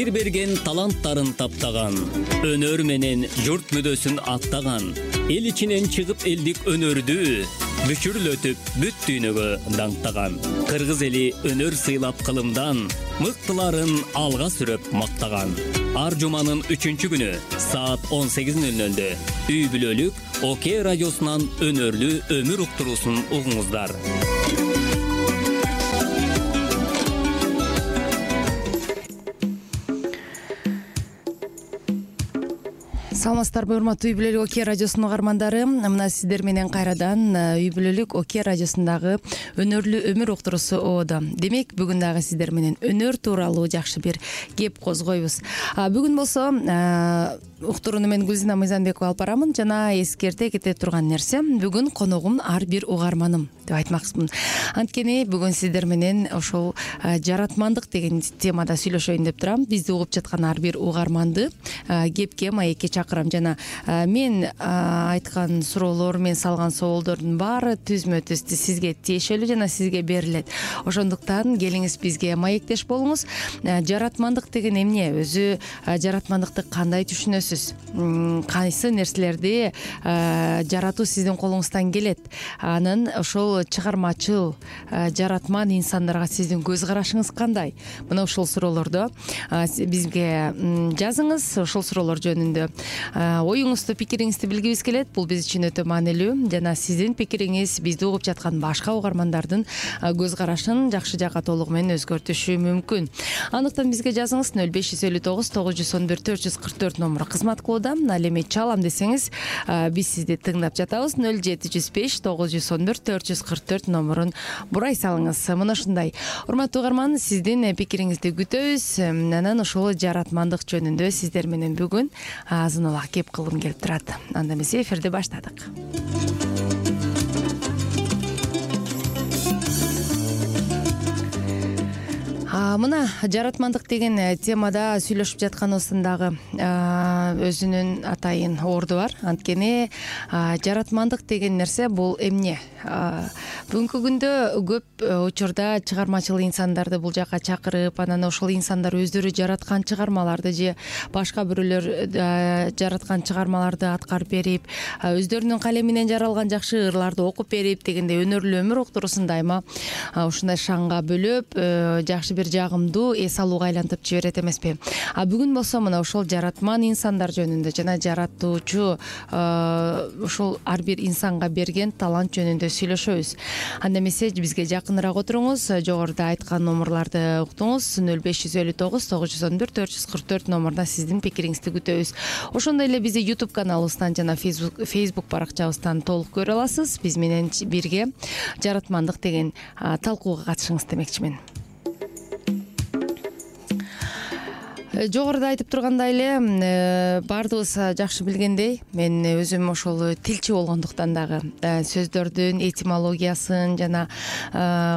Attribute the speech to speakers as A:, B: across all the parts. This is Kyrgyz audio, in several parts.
A: Теңир берген таланттарын таптаган, өнөр менен журт мүдөсүн аттаган, эл ичинен чыгып элдик өнөрдү бүчүрлөтүп бүт дүйнөгө даңктаган. Кыргыз эли өнөр сыйлап кылымдан, мыктыларын алга сүрөп мактаган. Ар жуманын 3-күнү саат 18:00 үй бүлөлүк ОК радиосунан өнөрлүү өмүр уктуруусун угуңуздар.
B: Саламатсыздарбы, урматтуу үй бүлөлүк ОК радиосунун угармандары. Мына сиздер менен кайрадан үй бүлөлүк ОК радиосундагы өнөрлүү өмүр уктуруусу оодо. Демек, бүгүн дагы сиздер менен өнөр тууралуу жакшы бир кеп козгойбуз. Бүгүн болсо уктурууну мен Гүлзина Мыйзамбекова алып барамын жана эскерте кете турган нерсе, бүгүн коногум ар бир угарманым деп айтмакчымын. Анткени бүгүн сиздер менен ошол жаратмандык деген темада сүйлөшөйүн деп турам. Бизди угуп жаткан ар бир угарманды кепке, маекке чакырам жана мен айткан суроолор, мен салган соолдордун баары түзмө-түз сизге тиешелүү жана сизге берилет. Ошондуктан келиңиз бизге маектеш болуңуз. Жаратмандык деген эмне? Өзү жаратмандыкты кандай түшүнөсүз? Кайсы нерселерди жаратуу сиздин колуңуздан келет? Анын ошол чыгармачыл, жаратман инсандарга сиздин көз карашыңыз кандай? Мына ушул суроолорду бизге жазыңыз. Ошол суроолор жөнүндө оюңузду, пикириңизди билгибиз келет. Бул биз үчүн өтө маанилүү жана сиздин пикириңиз бизди угуп жаткан башка угармандардын көз карашын жакшы жакка толугу менен өзгөртүшү мүмкүн. Андыктан бизге жазыңыз. 0559 911 444 номуру кызмат кылууда. Ал эми чалам десеңиз, биз сизди тыңдап жатабыз. 0705 911 444 номурун бурай салыңыз. Мына ушундай. Урматтуу угарман, сиздин пикириңизди күтөбүз. Анан ошол жаратмандык жөнүндө сиздер менен бүгүн азын улак кеп кылгым келип турат. Анда эмесе эфирди баштадык. Мына жаратмандык деген темада сүйлөшүп жатканыбыздын дагы өзүнүн атайын орду бар. Анткени жаратмандык деген нерсе бул эмне? Бүгүнкү күндө көп учурда чыгармачыл инсандарды бул жака чакырып, анан ошол инсандар өздөрү жараткан чыгармаларды же башка бирөөлөр жараткан чыгармаларды аткарып берип, өздөрүнүн калеминен жаралган жакшы ырларды окуп берип дегендей өнөрлүү өмүр уктуруусун дайыма ушундай шаңга бөлөп, жакшы бир жагымдуу эс алууга айлантып жиберет эмеспи? Бүгүн болсо мына ошол жаратман инсандар жөнүндө жана жаратуучу ошол ар бир инсанга берген талант жөнүндө сүйлөшөбүз. Анда эмесе бизге жакыныраак отуруңуз. Жогоруда айткан номурларды уктуңуз. 0559 911 444 номурда сиздин пикириңизди күтөбүз. Ошондой эле бизди YouTube каналыбыздан жана Facebook баракчабыздан толук көрө аласыз. Биз менен бирге жаратмандык деген талкууга катышыңыз демекчимин. Жогоруда айтып тургандай эле, баардыгыбыз жакшы билгендей, мен өзүм ошол тилчи болгондуктан дагы сөздөрдүн этимологиясын жана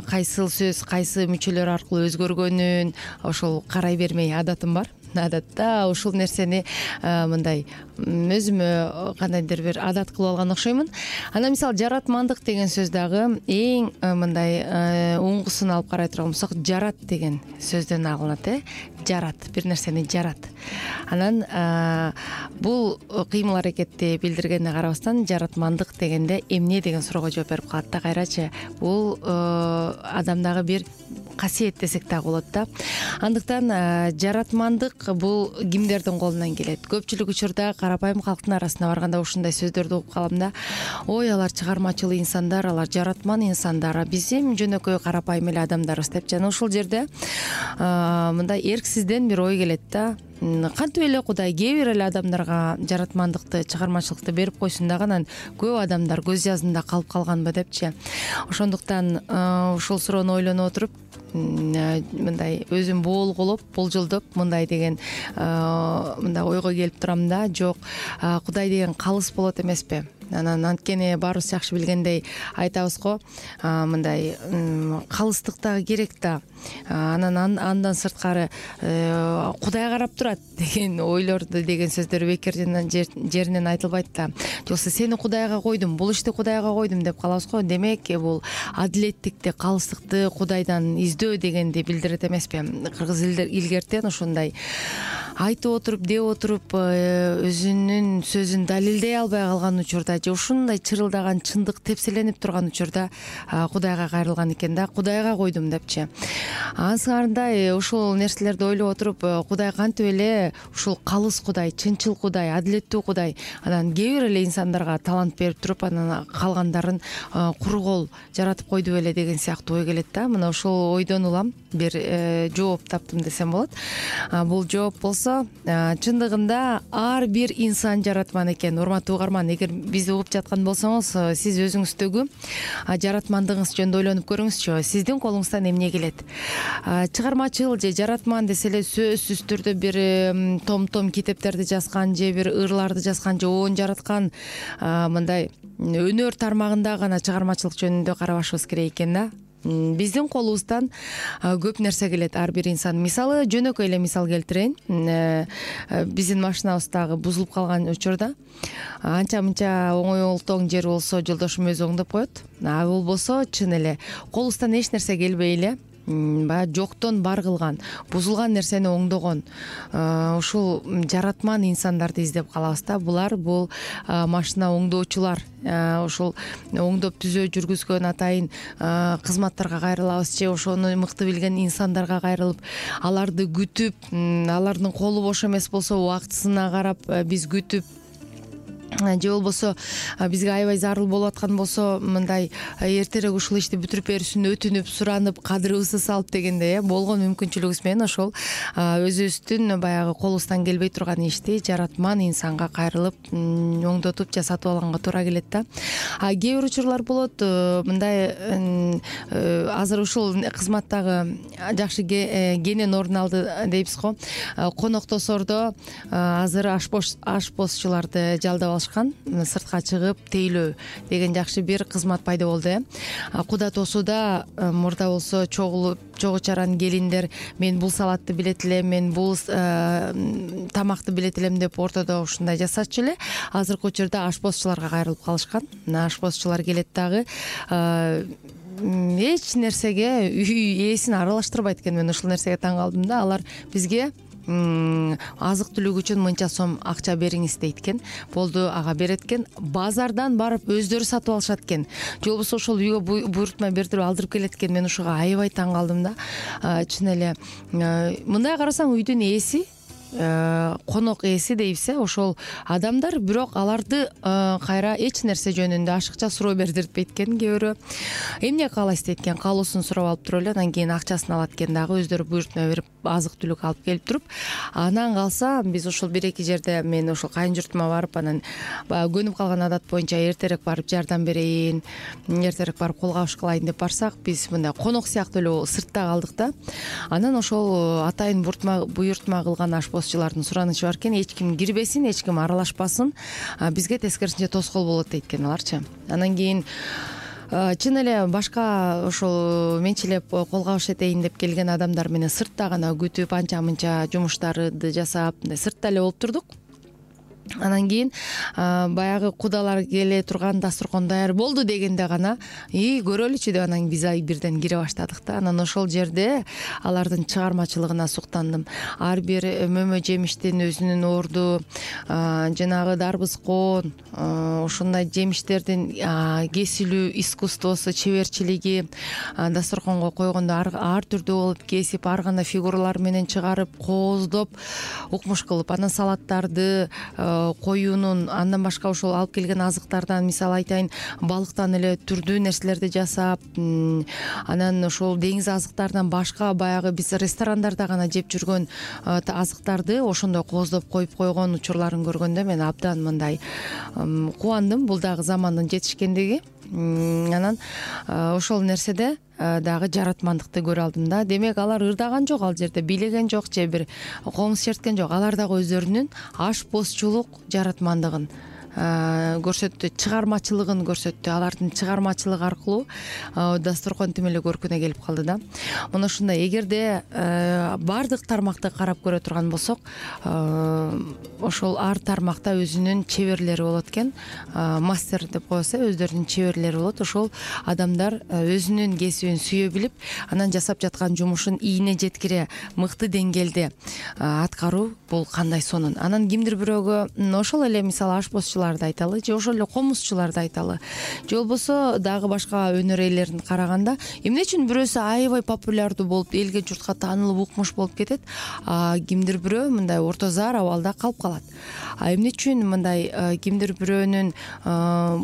B: кайсыл сөз кайсы мүчөлөр аркылуу өзгөргөнүн ошол карай бермей адатым бар. Адатта ушул нерсени мындай өзүмө кандайдыр бир адат кылып алган окшоймун. Анан мисалы жаратмандык деген сөз дагы эң мындай уңгусун алып карай турган болсок, жарат деген сөздөн алынат. Жарат, бир нерсени жарат. Анан бул кыймыл аракетти билдиргенине карабастан жаратмандык дегенде эмне деген суроого жооп берип калат да. Кайрачы, бул адамдагы бир касиет десек дагы болот да. Андыктан жаратмандык бул кимдердин колунан келет? Көпчүлүк учурда карапайым калктын арасына барганда ушундай сөздөрдү угуп калам да. Ой, алар чыгармачыл инсандар, алар жаратман инсандар, биз эми жөнөкөй карапайым эле адамдарбыз деп. Жана ушул жерде мындай эрксизден бир ой келет да. Кантип эле Кудай кээ бир эле адамдарга жаратмандыкты, чыгармачылыкты берип койсун дагы көп адамдар көз жазында калып калганбы депчи. Ошондуктан ушул суроону ойлонуп отуруп, мындай өзүм болжолдоп мындай деген мындай ойго келип турам да. Жок, Кудай деген калыс болот эмеспи? Анан анткени баарыбыз жакшы билгендей айтабыз го, мындай калыстык дагы керек да. анан андан сырткары Кудай карап турат деген ойлорду деген сөздөр бекер жеринен айтылбайт да. Жокса сени Кудайга койдум, бул ишти Кудайга койдум деп калабыз го. Демек бул адилеттикти, калыстыкты Кудайдан издөө дегенди билдирет эмеспи? Кыргыз илгертен ушундай айтып отуруп, деп отуруп, өзүнүн сөзүн далилдей албай калган учурда же ушундай чырылдаган чындык тепселенип турган учурда Кудайга кайрылган экен да, Кудайга койдум депчи. Ансыңарындай ушул нерселерди ойлоп отуруп, Кудай кантип эле ушул калыс Кудай, чынчыл Кудай, адилеттүү Кудай, анан кээ бир эле инсандарга талант берип туруп, анан калгандарын куру кол жаратып койду беле деген сыяктуу ой келет да. Мына ушул ойдон улам бир жооп таптым десем болот. Бул жооп болсо чындыгында ар бир инсан жаратман экен. Урматтуу угарман, эгер бизди угуп жаткан болсоңуз, сиз өзүңүздөгү жаратмандыгыңыз жөнүндө ойлонуп көрүңүзчү. Сиздин колуңуздан эмне келет? Чыгармачыл же жаратман десе эле сөзсүз түрдө бир том китептерди жазган же бир ырларды жазган же оон жараткан мындай өнөр тармагында гана чыгармачылык жөнүндө карабашыбыз керек экен да. Биздин колубуздан көп нерсе келет ар бир инсан. Мисалы, жөнөкөй эле мисал келтирейин. Биздин машинабыз дагы бузулуп калган учурда анча мынча оңой олтоң жер болсо жолдошум өзү оңдоп коет. А болбосо чын эле колубуздан эч нерсе келбей эле баягы жоктон бар кылган, бузулган нерсени оңдогон ушул жаратман инсандарды издеп калабыз да. Бул машина оңдоочулар, ушул оңдоп түзөө жүргүзгөн атайын кызматтарга кайрылабыз же ошону мыкты билген инсандарга кайрылып, аларды күтүп, алардын колу бош эмес болсо убактысына карап биз күтүп, же болбосо бизге аябай зарыл болуп аткан болсо мындай эртерээк ушул ишти бүтүрүп берүүсүн өтүнүп, суранып, кадырыбызды салып дегендей болгон мүмкүнчүлүгүбүз менен ошол өзүбүздүн баягы колубуздан келбей турган ишти жаратман инсанга кайрылып оңдотуп жасатып алганга туура келет да. Кээ бир учурлар болот мындай азыр ушул кызматтагы жакшы кенен орун алды дейбиз го. Коноктосордо азыр ашпозчуларды жалдап сыртка чыгып тейлөө деген жакшы бир кызмат пайда болду. Куда тосуда мурда болсо чогуу чаран келиндер мен бул салатты билет элем, мен бул тамакты билет элем деп ортодо ушундай жасачу эле. Азыркы учурда ашпозчуларга кайрылып калышкан. Ашпозчулар келет дагы эч нерсеге үй ээсин аралаштырбайт экен. Мен ушул нерсеге таң калдым да. Алар бизге азык түлүк үчүн мынча сом акча бериңиз дейт экен. Болду, ага берет экен. Базардан барып өздөрү сатып алышат экен. Же болбосо ошол үйгө буйрутма бердирип алдырып келет экен. Мен ушуга аябай таң калдым да. Чын эле мындай карасаң үйдүн ээси, конок ээси дейбиз, ошол адамдар, бирок аларды кайра эч нерсе жөнүндө ашыкча суроо бердиртпейт экен. Кээ бирөө эмне каалайсыз дейт экен, каалоосун сурап алып туруп эле анан кийин акчасын алат экен дагы, өздөрү буйрутма берип азык түлүк алып келип туруп. Анан калса биз ушул бир-эки жерде мен ушул кайын журтума барып, анан баягы көнүп калган адат боюнча эртерээк барып жардам берейин, эртерээк барып кол кабыш кылайын деп барсак, биз мындай конок сыяктуу эле сыртта калдык да. Анан ошол атайын буйрутма кылган ашпозчулардын суранычы бар экен, эч ким кирбесин, эч ким аралашпасын, бизге тескерисинче тоскоол болот дейт экен аларчы. Анан кийин чын эле башка ошол менчилеп кол кабыш этейин деп келген адамдар менен сыртта гана күтүп, анча мынча жумуштарды жасап, сыртта эле болуп турдук. Анан кийин баягы кудалар келе турган дасторкон даяр болду дегенде гана көрөлүчү деп анан биз бирден кире баштадык да. Анан ошол жерде алардын чыгармачылыгына суктандым. Ар бир мөмө жемиштин өзүнүн орду, жанагы дарбыз коон, ушундай жемиштердин кесилүү искусствосу, чеберчилиги, дасторконго койгондо ар түрдүү болуп кесип, ар кандай фигуралар менен чыгарып, кооздоп, укмуш кылып, анан салаттарды, коюунун, андан башка ошол алып келген азыктардан, мисалы айтайын, балыктан эле түрдүү нерселерди жасап, анан ошол деңиз азыктарынан башка баягы биз ресторандарда гана жеп жүргөн азыктарды ошондой кооздоп коюп койгон учурларын көргөндө мен абдан мындай кубандым. Бул дагы замандын жетишкендиги. Анан ошол нерседе дагы жаратмандыкты көрө алдым да. Демек алар ырдаган жок, ал жерде бийлеген жок же бир комуз черткен жок. Алар дагы өздөрүнүн ашпозчулук жаратмандыгын көрсөттү, чыгармачылыгын көрсөттү. Алардын чыгармачылыгы аркылуу дасторкон тим эле көркүнө келип калды да. Мына ушундай, эгерде баардык тармакты карап көрө турган болсок, ошол ар тармакта өзүнүн чеберлери болот экен. Мастер деп коебуз, өздөрүнүн чеберлери болот. Ошол адамдар өзүнүн кесибин сүйө билип, анан жасап жаткан жумушун ийине жеткире мыкты деңгээлде аткаруу бул кандай сонун. Анан кимдир бирөөгө ошол эле мисалы ашпозчуларды айталы, же ошол эле комузчуларды айталы, же болбосо дагы башка өнөр ээлерин караганда эмне үчүн бирөөсү аябай популярдуу болуп, элге журтка таанылып укмуш болуп кетет, кимдир бирөө мындай орто зар абалда калып калат. Эмне үчүн мындай кимдир бирөөнүн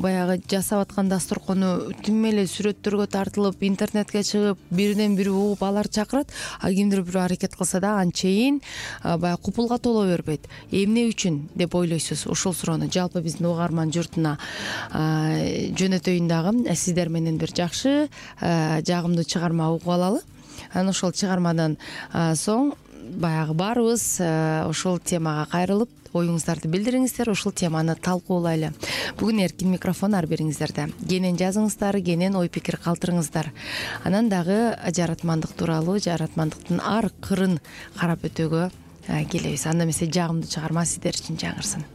B: баягы жасап аткан дасторкону тим эле сүрөттөргө тартылып, интернетке чыгып, биринен бири угуп алар чакырат, кимдир бирөө аракет кылса да анчейин баягы купулга толо бербейт. Эмне үчүн деп ойлойсуз? Ошол суроону жалпы биздин угарман журтуна жөнөтөйүн дагы, сиздер менен бир жакшы, жагымдуу чыгарма угуп алалы. Анан ошол чыгармадан соң баягы баарыбыз ошол темага кайрылып оюңуздарды билдириңиздер, ошол теманы талкуулайлы. Бүгүн эркин микрофон ар бириңиздерде. Кенен жазыңыздар, кенен ой пикир калтырыңыздар. Анан дагы жаратмандык тууралуу, жаратмандыктын ар кырын карап өтүүгө келебиз. Анда эмесе жагымдуу чыгарма сиздер үчүн жаңырсын.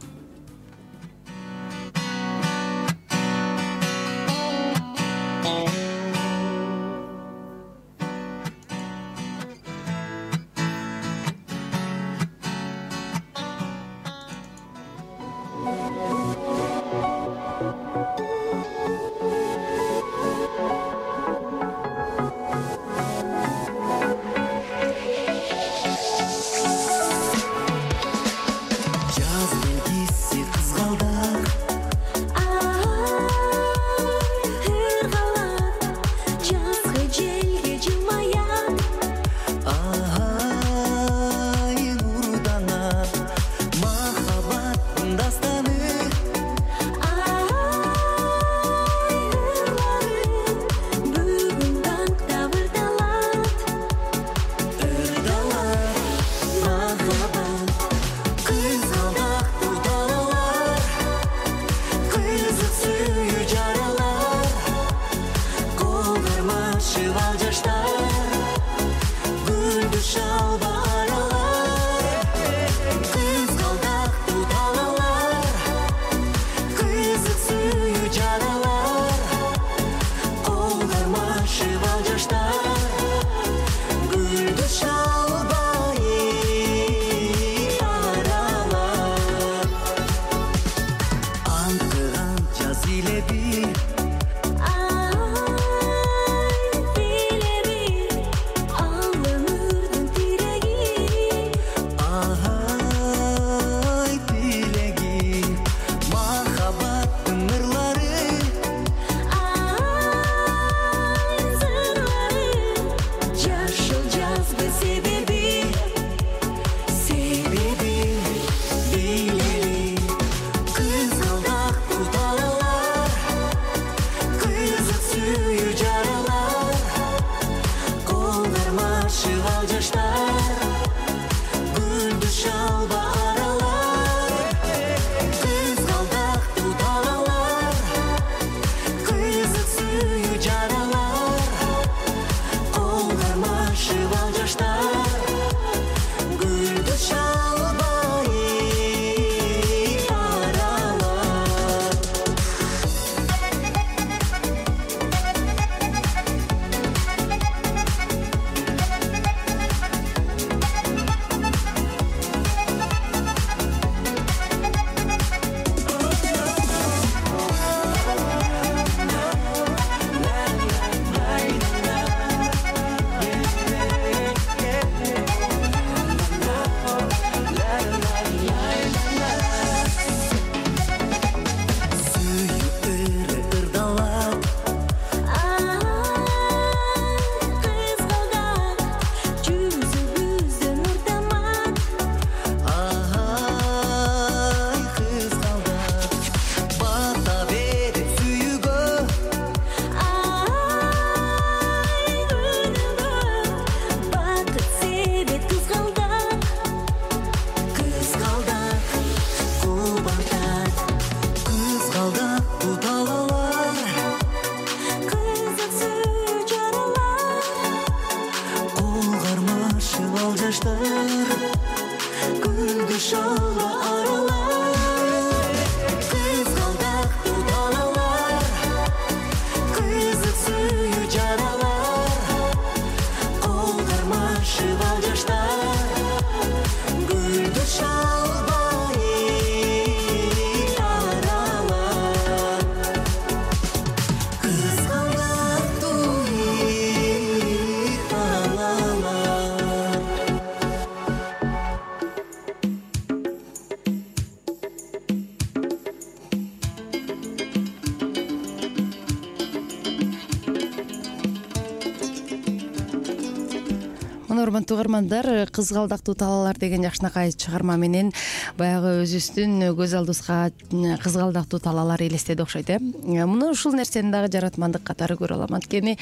C: ал жаштар күндү шалга аралар кызгалдактуу талалар кызык сүйүү жаралар колдармашып ал жаштар гүлдү шалбай аралар кызгалдактуу талалар.
B: Мына урматтуу угармандар, кызгалдактуу талалар деген жакшынакай чыгарма менен баягы өзүбүздүн көз алдыбызга кызгалдактуу талалар элестеди окшойт муну ушул нерсени дагы жаратмандык катары көрө алам. Анткени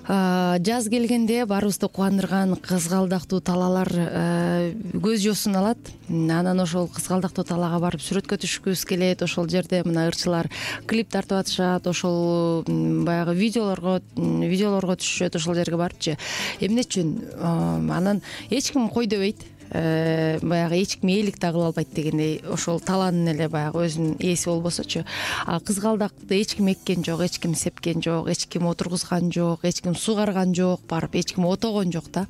B: жаз келгенде баарыбызды кубандырган кызгалдактуу талалар көз жоосун алат. Анан ошол кызгалдактуу талаага барып сүрөткө түшкүбүз келет. Ошол жерде мына ырчылар клип тартып атышат, ошол баягы видеолорго түшүшөт ошол жерге барыпчы. Эмне үчүн? Анан эч ким кой дебейт. Баягы эч ким ээлик да кыла албайт дегендей, ошол талаанын эле баягы өзүнүн ээси болбосочу. Кызгалдакты эч ким эккен жок, эч ким сепкен жок, эч ким отургузган жок, эч ким сугарган жок, барып эч ким отогон жок да.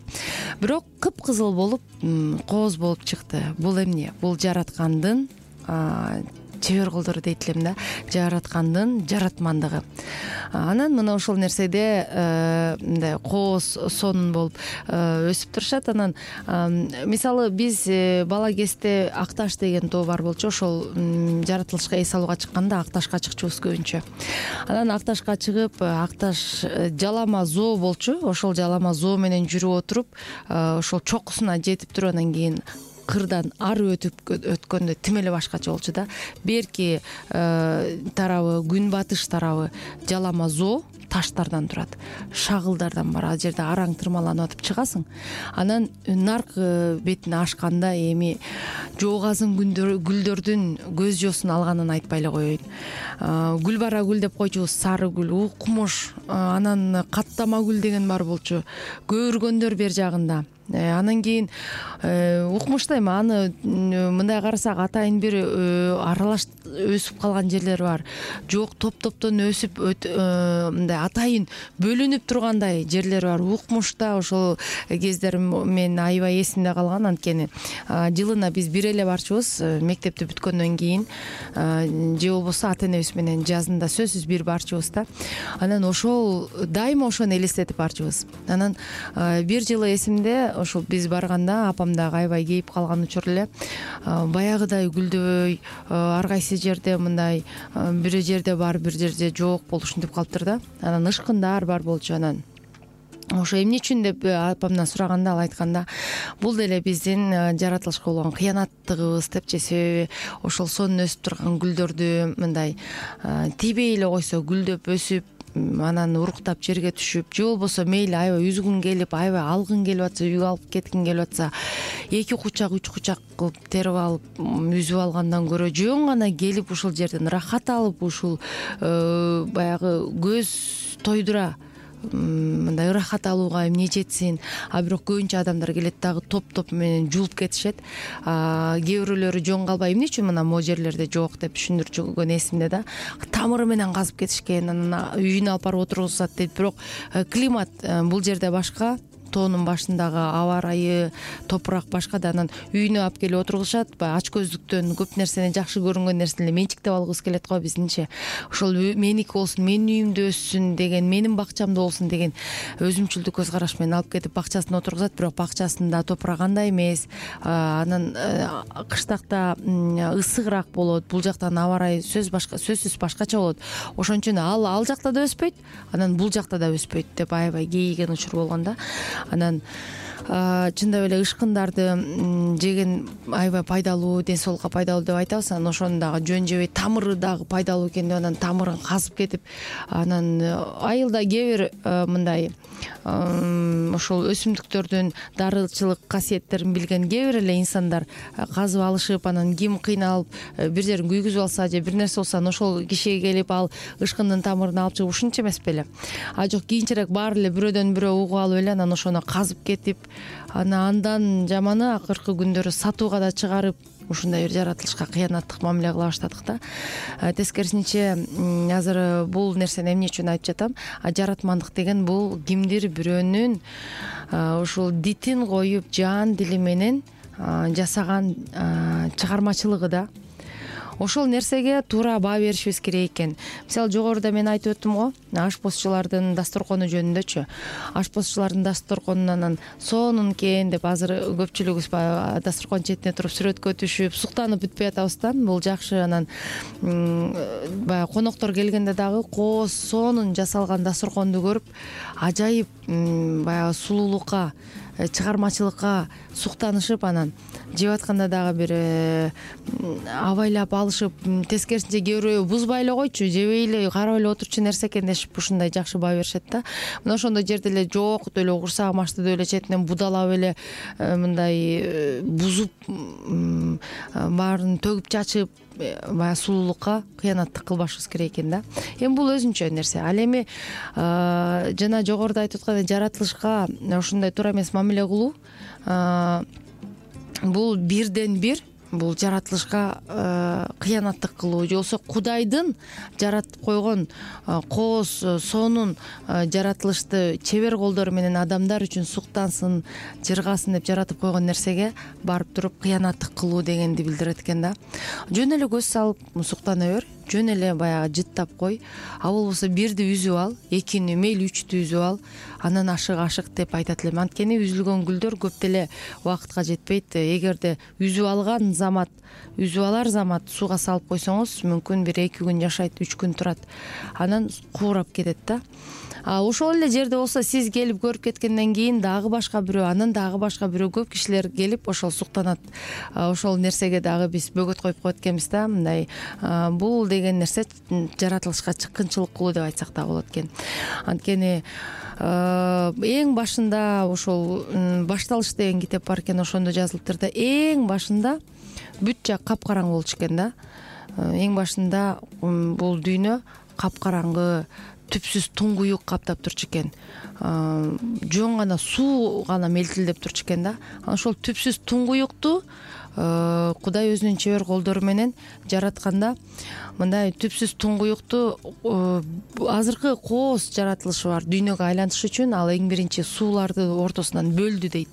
B: Бирок кыпкызыл болуп, кооз болуп чыкты. Бул эмне? Бул жараткандын чебер колдору дейт элем да, жараткандын жаратмандыгы. Анан мына ошол нерседе мындай кооз сонун болуп өсүп турушат. Анан мисалы биз бала кезде Акташ деген тоо бар болчу. Ошол жаратылышка эс алууга чыкканда Акташка чыкчубуз көбүнчө. Анан Акташка чыгып, Акташ жалама зоо болчу. Ошол жалама зоо менен жүрүп отуруп, ошол чокусуна жетип туруп анан кийин кырдан ары өткөндө тим эле башкача болчу да. Берки тарабы, күнбатыш тарабы жалама зоо таштардан турат, шагылдардан бар. Ал жерде араң тырмаланып атып чыгасың. Анан наркы бетине ашканда эми жоогазын гүлдөрдүн көз жоосун алганын айтпай эле коеюн. Гүлбара гүл деп койчубуз, сары гүл, укмуш, анан каттама гүл деген бар болчу. Көөргөндөр бер жагында. Анан кийин укмушта эми аны мындай карасак атайын бир аралаш өсүп калган жерлер бар. Жок, топ-топтон өсүп мындай атайын бөлүнүп тургандай жерлер бар. Укмушта ошол кездер мен аябай эсимде калган. Анткени жылына биз бир эле барчубуз, мектепти бүткөндөн кийин же болбосо ата энебиз менен жазында сөзсүз бир барчубуз да. Анан ошол дайыма ошону элестетип барчубуз. Анан бир жылы эсимде, ошол биз барганда апам дагы аябай кейип калган учур эле. Баягыдай гүлдөбөй, ар кайсы жерде мындай бир жерде бар, бир жерде жок болуп ушинтип калыптыр да. Анан ышкындар бар болчу. Анан ошо эмне үчүн деп апамдан сураганда, ал айтканда, бул деле биздин жаратылышка болгон кыянаттыгыбыз депчи. Себеби ошол сонун өсүп турган гүлдөрдү мындай тийбей эле койсо, гүлдөп өсүп, анан уруктап жерге түшүп, же болбосо мейли аябай үзгүн келип, аябай алгың келип атса, үйгө алып кеткиң келип атса, 2 кучак 3 кучак кылып терип алып, үзүп алгандан көрө жөн гана келип ушул жерден рахат алып, ушул баягы көз тойдура мындай ырахат алууга эмне жетсин. Бирок көбүнчө адамдар келет дагы топ-топ менен жулуп кетишет. Кээ бирөөлөрү жөн калбай эмне үчүн мына могу жерлерде жок деп түшүндүрчүгөн эсимде да. Тамыры менен казып кетишкен, анан үйүнө алып барып отургузат дейт. Бирок климат бул жерде башка, тоонун башындагы аба ырайы, топурак башка да. Анан үйүнө алып келип отургузушат. Баягы ач көздүктөн көп нерсени, жакшы көрүнгөн нерсени менчиктеп алгыбыз келет го биздинче. Ошол меники болсун, менин үйүмдө өссүн деген, менин бакчамда болсун деген өзүмчүлдүк көз караш менен алып кетип бакчасына отургузат. Бирок бакчасында топурак андай эмес. Анан кыштакта ысыгыраак болот. Бул жактан аба ырайы сөзсүз башкача болот. Ошон үчүн ал жакта да өспөйт, анан бул жакта да өспөйт деп аябай кейиген учур болгон да. Анан чындап эле ышкындарды жеген аябай пайдалуу, ден соолукка пайдалуу деп айтабыз. Анан ошону дагы жөн жебей, тамыры дагы пайдалуу экен деп анан тамырын казып кетип, анан айылда кээ бир мындай ошол өсүмдүктөрдүн дарылчылык касиеттерин билген кээ бир эле инсандар казып алышып, анан ким кыйналып бир жерин күйгүзүп алса же бир нерсе болсо, ошол кишиге келип ал ышкындын тамырын алып чыгып ушунча эмес беле. Жок, кийинчерээк баары эле бирөөдөн бирөө угуп алып эле анан ошону казып кетип, андан жаманы акыркы күндөрү сатууга да чыгарып ушундай бир жаратылышка кыянаттык мамиле кыла баштадык да. Тескерисинче азыр бул нерсени эмне үчүн айтып жатам? Жаратмандык деген бул кимдир бирөөнүн ушул дитин коюп жан дили менен жасаган чыгармачылыгы да. Ошол нерсеге туура баа беришибиз керек экен. Мисалы жогоруда мен айтып өттүм го, ашпозчулардын дасторкону жөнүндөчү. Ашпозчулардын дасторконунан сонун экен деп азыр көпчүлүгүбүз дасторкон четине туруп сүрөткө түшүп, суктанып бүтпөй атабыз да. Бул жакшы. Анан баягы коноктор келгенде дагы кооз сонун жасалган дасторконду көрүп, ажайып баягы сулуулукка, чыгармачылыкка суктанышып, анан жеп атканда дагы бир абайлап алышып, тескерисинче кээ бирөө бузбай эле койчу, жебей эле, карап эле отурчу нерсе экен дешип ушундай жакшы баа беришет да. Мына ошондой жерде эле жок деп эле курсагым ачты деп эле четинен будалап эле мындай бузуп, баарын төгүп чачып, баягы сулуулукка кыянаттык кылбашыбыз керек экен да. Эми бул өзүнчө нерсе. Ал эми жана жогоруда айтып аткандай жаратылышка ушундай туура эмес мамиле кылуу, бул бирден бир, бул жаратылышка кыянаттык кылуу, же болбосо Кудайдын жаратып койгон кооз сонун жаратылышты чебер колдору менен адамдар үчүн суктансын, жыргасын деп жаратып койгон нерсеге барып туруп кыянаттык кылуу дегенди билдирет экен да. Жөн эле көз салып суктана бер, жөн эле баягы жыттап кой, а болбосо бирди үзүп ал, экини, мейли үчтү үзүп ал, анан ашык деп айтат элем. Анткени үзүлгөн гүлдөр көп деле убакытка жетпейт. Эгерде үзүп алган замат, үзүп алар замат сууга салып койсоңуз, мүмкүн бир 2 күн жашайт, 3 күн турат, анан куурап кетет да. Ошол эле жерде болсо сиз келип көрүп кеткенден кийин дагы башка бирөө, анан дагы башка бирөө, көп кишилер келип ошол суктанат. Ошол нерсеге дагы биз бөгөт коюп коет экенбиз да. Мындай бул деген нерсе жаратылышка чыккынчылык кылуу деп айтсак да болот экен. Анткени эң башында ошол башталыш деген китеп бар экен, ошондо жазылыптыр да. Эң башында бүт жак капкараңгы болчу экен да. Эң башында бул дүйнө капкараңгы, түпсүз туңгуюк каптап турчу экен. Жөн гана суу гана мелтилдеп турчу экен да. Ошол түпсүз туңгуюкту Кудай өзүнүн чебер колдору менен жаратканда, мындай түпсүз туңгуюкту азыркы кооз жаратылышы бар дүйнөгө айлантыш үчүн ал эң биринчи сууларды ортосунан бөлдү дейт.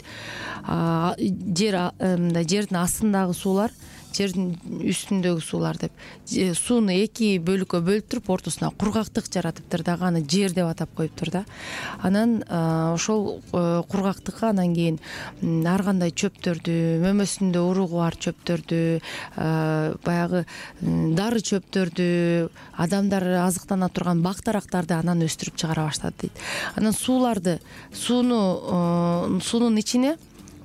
B: Жердин астындагы суулар, жердин үстүндөгү суулар деп сууну 2 бөлүккө бөлүп туруп ортосуна кургактык жаратыптыр дагы, аны жер деп атап коюптур да. Анан ошол кургактыкка анан кийин ар кандай чөптөрдү, мөмөсүндө уругу бар чөптөрдү, баягы дары чөптөрдү, адамдар азыктана турган бактарактарды анан өстүрүп чыгара баштады дейт. Анан суунун ичине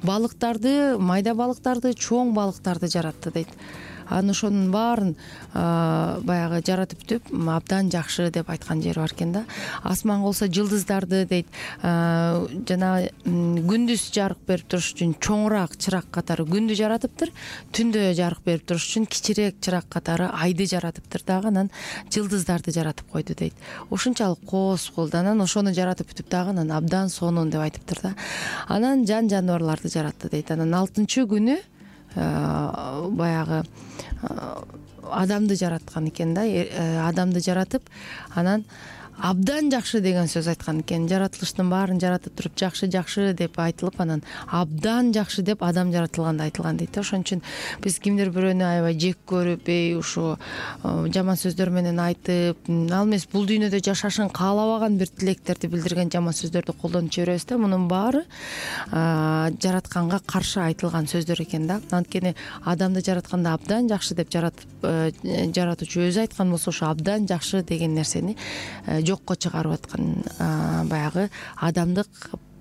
B: балыктарды, майда балыктарды, чоң балыктарды жаратты дейт. Анан ошонун баарын баягы жаратып бүтүп, абдан жакшы деп айткан жери бар экен да. Асманга болсо жылдыздарды дейт, жана күндүз жарык берип туруш үчүн чоңураак чырак катары күндү жаратыптыр, түндө жарык берип туруш үчүн кичирээк чырак катары айды жаратыптыр дагы, анан жылдыздарды жаратып койду дейт. Ушунчалык кооз болду. Анан ошону жаратып бүтүп дагы анан абдан сонун деп айтыптыр да. Анан жаныбарларды жаратты дейт. Анан 6-күнү баягы адамды жараткан экен да. Адамды жаратып, анан абдан жакшы деген сөз айткан экен. Жаратылыштын баарын жаратып туруп жакшы деп айтылып, анан абдан жакшы деп адам жаратылганда айтылган дейт. Ошон үчүн биз кимдир бирөөнү аябай жек көрүп, ушу жаман сөздөр менен айтып, ал эмес бул дүйнөдө жашашын каалабаган бир тилектерди билдирген жаман сөздөрдү колдонуп жиберебиз да. Мунун баары жаратканга каршы айтылган сөздөр экен да. Анткени адамды жаратканда абдан жакшы деп жаратуучу өзү айткан болсо, ошо абдан жакшы деген нерсени жокко чыгарып аткан баягы адамдык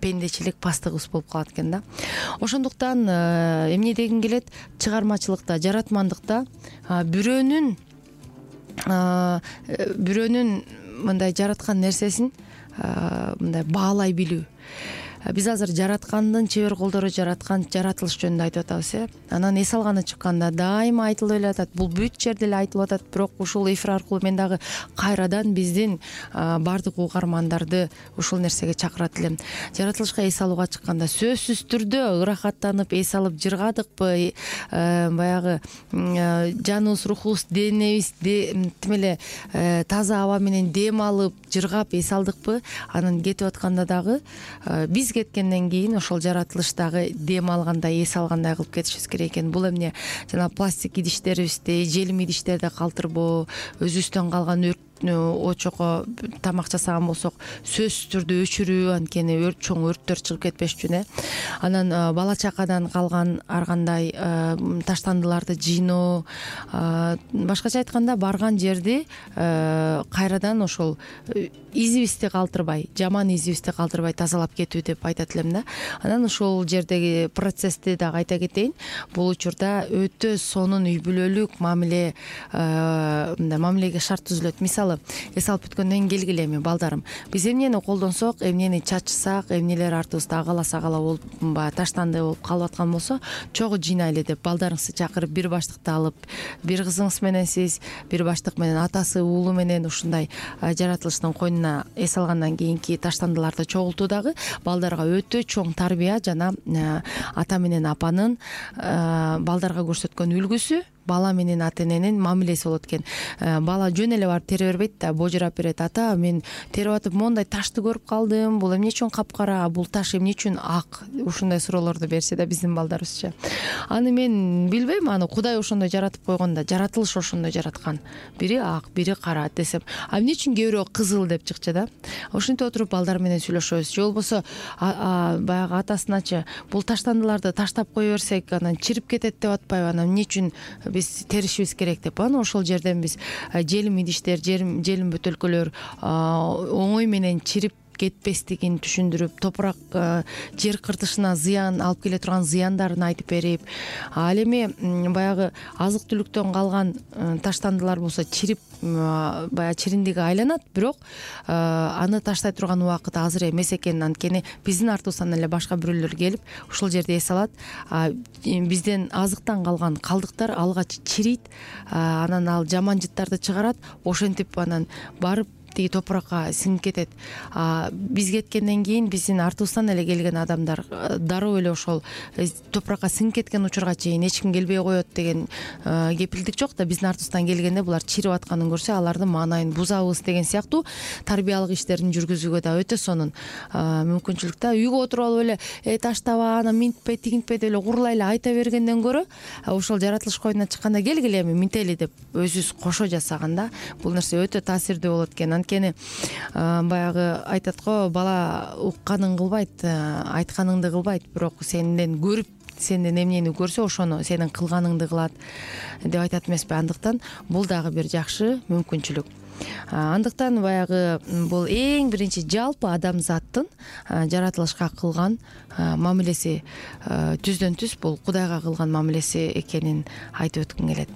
B: пендечилик пастыгыбыз болуп калат экен да. Ошондуктан эмне дегим келет, чыгармачылыкта, жаратмандыкта бирөөнүн мындай жараткан нерсесин мындай баалай билүү. биз азыр жараткандын чебер колдору жараткан жаратылыш жөнүндө айтып атабыз. Анан эс алганы чыкканда дайыма айтылып эле атат. Бул бүт жерде эле айтылып атат, бирок ушул эфир аркылуу мен дагы кайрадан биздин баардык угармандарды ушул нерсеге чакырат элем. Жаратылышка эс алууга чыкканда сөзсүз түрдө ырахаттанып эс алып жыргадыкпы, баягы жаныбыз, рухубуз, денебиз тим эле таза аба менен дем алып жыргап эс алдыкпы. Анан кетип атканда дагы биз кеткенден кийин ошол жаратылыштагы дем алгандай, эс алгандай кылып кетишибиз керек экен. Бул эмне жана пластик идиштерибизди, желим идиштерди калтырбоо, өзүбүздөн калган очокко тамак жасаган болсок сөзсүз түрдө өчүрүү, анткени чоң өрттөр чыгып кетпеш үчүн. Анан бала чакадан калган ар кандай таштандыларды жыйноо, башкача айтканда барган жерди кайрадан ошол изибизди калтырбай, жаман изибизди калтырбай тазалап кетүү деп айтат элем да. Анан ошол жердеги процессти дагы айта кетейин. Бул учурда өтө сонун үй бүлөлүк мамилеге шарт түзүлөт. Мисалы, эс алып бүткөндөн кийин келгиле эми балдарым, биз эмнени колдонсок, эмнени чачсак, эмнелер артыбызда агала-сагала болуп, баягы таштанды болуп калып аткан болсо, чогуу жыйнайлы деп балдарыңызды чакырып, бир баштыкты алып, бир кызыңыз менен сиз, бир баштык менен атасы, уулу менен ушундай жаратылыштын койнуна эс алгандан кийинки таштандыларды чогултуудагы балдарга өтө чоң тарбия жана ата менен апанын балдарга көрсөткөн үлгүсү, бала менен ата эненин мамилеси болот экен. Бала жөн эле барып тере бербейт да, божурап берет. Ата, мен терип атып моундай ташты көрүп калдым. Бул эмне үчүн капкара? Бул таш эмне үчүн ак? Ушундай суроолорду берсе да биздин балдарыбызча. Аны мен билбейм, аны Кудай ошондой жаратып койгон да, жаратылыш ошондой жараткан. Бири ак, бири кара десем, а эмне үчүн кээ бирөө кызыл деп чыкчу да? Ошентип отуруп балдар менен сүйлөшөбүз. Же болбосо баягы атасыначы бул таштандыларды таштап кое берсек, анан чирип кетет деп атпайбы? Анан эмне үчүн биз теришибиз керек деп. Анан ошол жерден биз желим идиштер, желим бөтөлкөлөр оңой менен чирип кетпестигин түшүндүрүп, топурак жер кыртышына зыян алып келе турган зыяндарын айтып берип, ал эми баягы азык түлүктөн калган таштандылар болсо чирип баягы чириндиги айланат, бирок аны таштай турган убакыт азыр эмес экен. Анткени биздин артыбыздан эле башка бирөөлөр келип ушул жерде эс алат. Бизден азыктан калган калдыктар алгач чирийт, анан ал жаман жыттарды чыгарат, ошентип анан барып тиги топуракка сиңип кетет. Биз кеткенден кийин биздин артыбыздан эле келген адамдар дароо эле ошол топуракка сиңип кеткен учурга чейин эч ким келбей коет деген кепилдик жок да. Биздин артыбыздан келгенде булар чирип атканын көрсө, алардын маанайын бузабыз деген сыяктуу тарбиялык иштерин жүргүзүүгө да өтө сонун мүмкүнчүлүк да. Үйгө отуруп алып эле таштаба, анан минтпе, тигинтпе деп эле курлайлы айта бергенден көрө, ошол жаратылыш койнуна чыкканда келгиле эми минтели деп өзүбүз кошо жасаганда бул нерсе өтө таасирдүү болот экен. Анткени баягы айтат го, бала укканын кылбайт, айтканыңды кылбайт, бирок сенден көрүп, сенден эмнени көрсө ошону сенин кылганыңды кылат деп айтат эмеспи? Андыктан бул дагы бир жакшы мүмкүнчүлүк. Андыктан баягы бул эң биринчи жалпы адамзаттын жаратылышка кылган мамилеси түздөн түз бул Кудайга кылган мамилеси экенин айтып өткүм келет.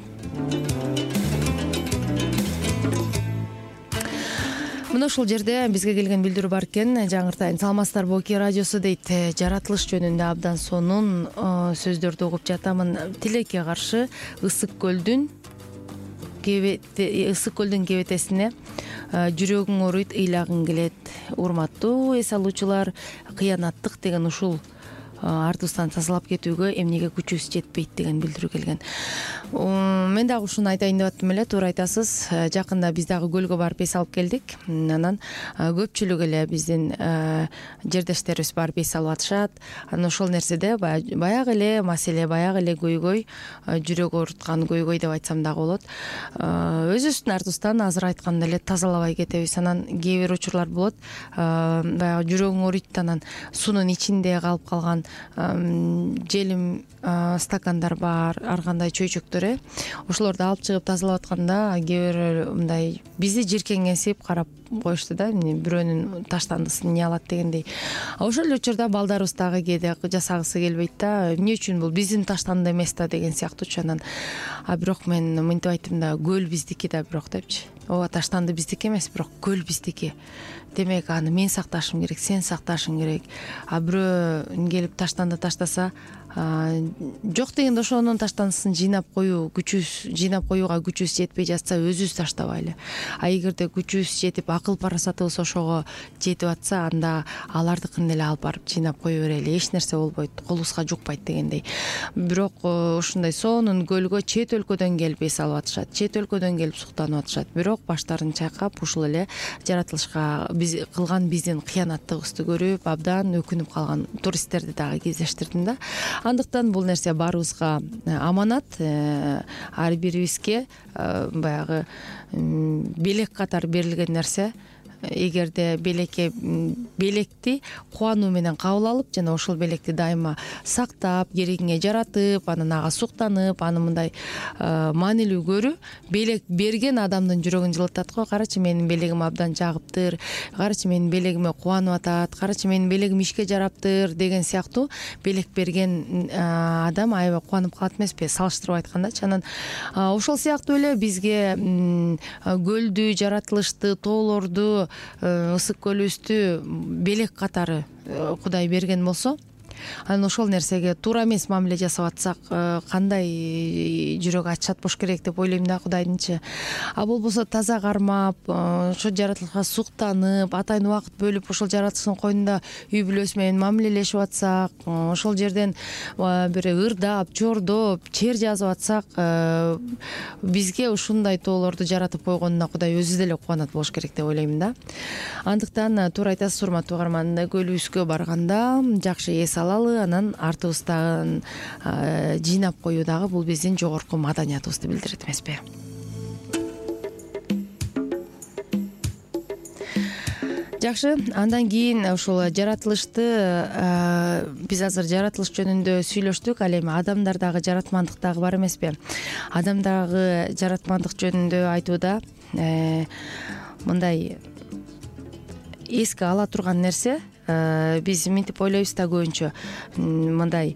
B: Мына ушул жерде бизге келген билдирүү бар экен. Жаңыртайын, саламатсыздарбы, ОК радиосу дейт. Жаратылыш жөнүндө абдан сонун сөздөрдү угуп жатамын. Тилекке каршы ысык көлдүн кебетесине жүрөгүң ооруйт, ыйлагың келет. Урматтуу эс алуучулар, кыянаттык деген ушул артыбыздан тазалап кетүүгө эмнеге күчүбүз жетпейт деген билдирүү келген. Мен дагы ушуну айтайын деп аттым эле, туура айтасыз. Жакында биз дагы көлгө барып эс алып келдик. Анан көпчүлүк эле биздин жердештерибиз барып эс алып атышат. Анан ошол нерседе баягы эле маселе, баягы эле көйгөй, жүрөк ооруткан көйгөй деп айтсам дагы болот. Өзүбүздүн артыбыздан азыр айткандай эле тазалабай кетебиз. Анан кээ бир учурлар болот, баягы жүрөгүң ооруйт, анан суунун ичинде калып калган желим стакандар бар, ар кандай чөйчөктөр, ошолорду алып чыгып тазалап атканда кээ бир мындай бизди жиркең эсип карап коюшту да, бирөөнүн таштандысын эмне алат дегендей. Ошол эле учурда балдарыбыз дагы кээде жасагысы келбейт да, эмне үчүн бул биздин таштанды эмес да деген сыяктуучу. Анан бирок мен мынтип айттым да, көл биздики да бирок депчи. Ооба, таштанды биздики эмес, бирок көл биздики. Демек аны мен сакташым керек, сен сакташың керек. Бирөө келип таштанды таштаса, жок дегенде ошонун таштандысын жыйнап коюуга күчүбүз жетпей жатса, өзүбүз таштабайлы. Эгерде күчүбүз жетип, акыл парасатыбыз ошого жетип атса, анда алардыкын эле алып барып жыйнап кое берели. Эч нерсе болбойт, колубузга жукпайт дегендей. Бирок ушундай сонун көлгө чет өлкөдөн келип эс алып атышат, чет өлкөдөн келип суктанып атышат. Бирок баштарын чайкап, ушул эле жаратылышка кылган биздин кыянаттыгыбызды көрүп, абдан өкүнүп калган туристтерди дагы кездештирдим да. Андыктан бул нерсе баарыбызга аманат, ар бирибизге баягы белек катары берилген нерсе. Эгерде белекти кубануу менен кабыл алып, жана ошол белекти дайыма сактап, керегиңе жаратып, анан ага суктанып, аны мындай маанилүү көрүү белек берген адамдын жүрөгүн жылытат го. Карачы, менин белегим абдан жагыптыр, карачы, менин белегиме кубанып атат, карачы, менин белегим ишке жараптыр деген сыяктуу белек берген адам аябай кубанып калат эмеспи, салыштырып айткандачы. Анан ошол сыяктуу эле бизге көлдү, жаратылышты, тоолорду, ысык көлүбүздү белек катары Кудай берген болсо, анан ошол нерсеге туура эмес мамиле жасап атсак, кандай жүрөгү ачышат болуш керек деп ойлойм да, Кудайдынчы. А болбосо таза кармап, ошо жаратылышка суктанып, атайын убакыт бөлүп, ошол жаратылыштын койнунда үй бүлөсү менен мамилелешип атсак, ошол жерден бир ырдап, чордоп, чер жазып атсак, бизге ушундай тоолорду жаратып койгонуна Кудай өзү деле кубанат болуш керек деп ойлойм да. Андыктан туура айтасыз, урматтуу угарман, көлүбүзгө барганда жакшы эс алалы, анан артыбыздан жыйнап коюу дагы бул биздин жогорку маданиятыбызды билдирет эмеспи. Жакшы, андан кийин ушул жаратылышты биз азыр жаратылыш жөнүндө сүйлөштүк, ал эми адамдар дагы жаратмандык дагы бар эмеспи? Адамдагы жаратмандык жөнүндө айтууда мындай эске ала турган нерсе, биз мынтип ойлойбуз да көбүнчө, мындай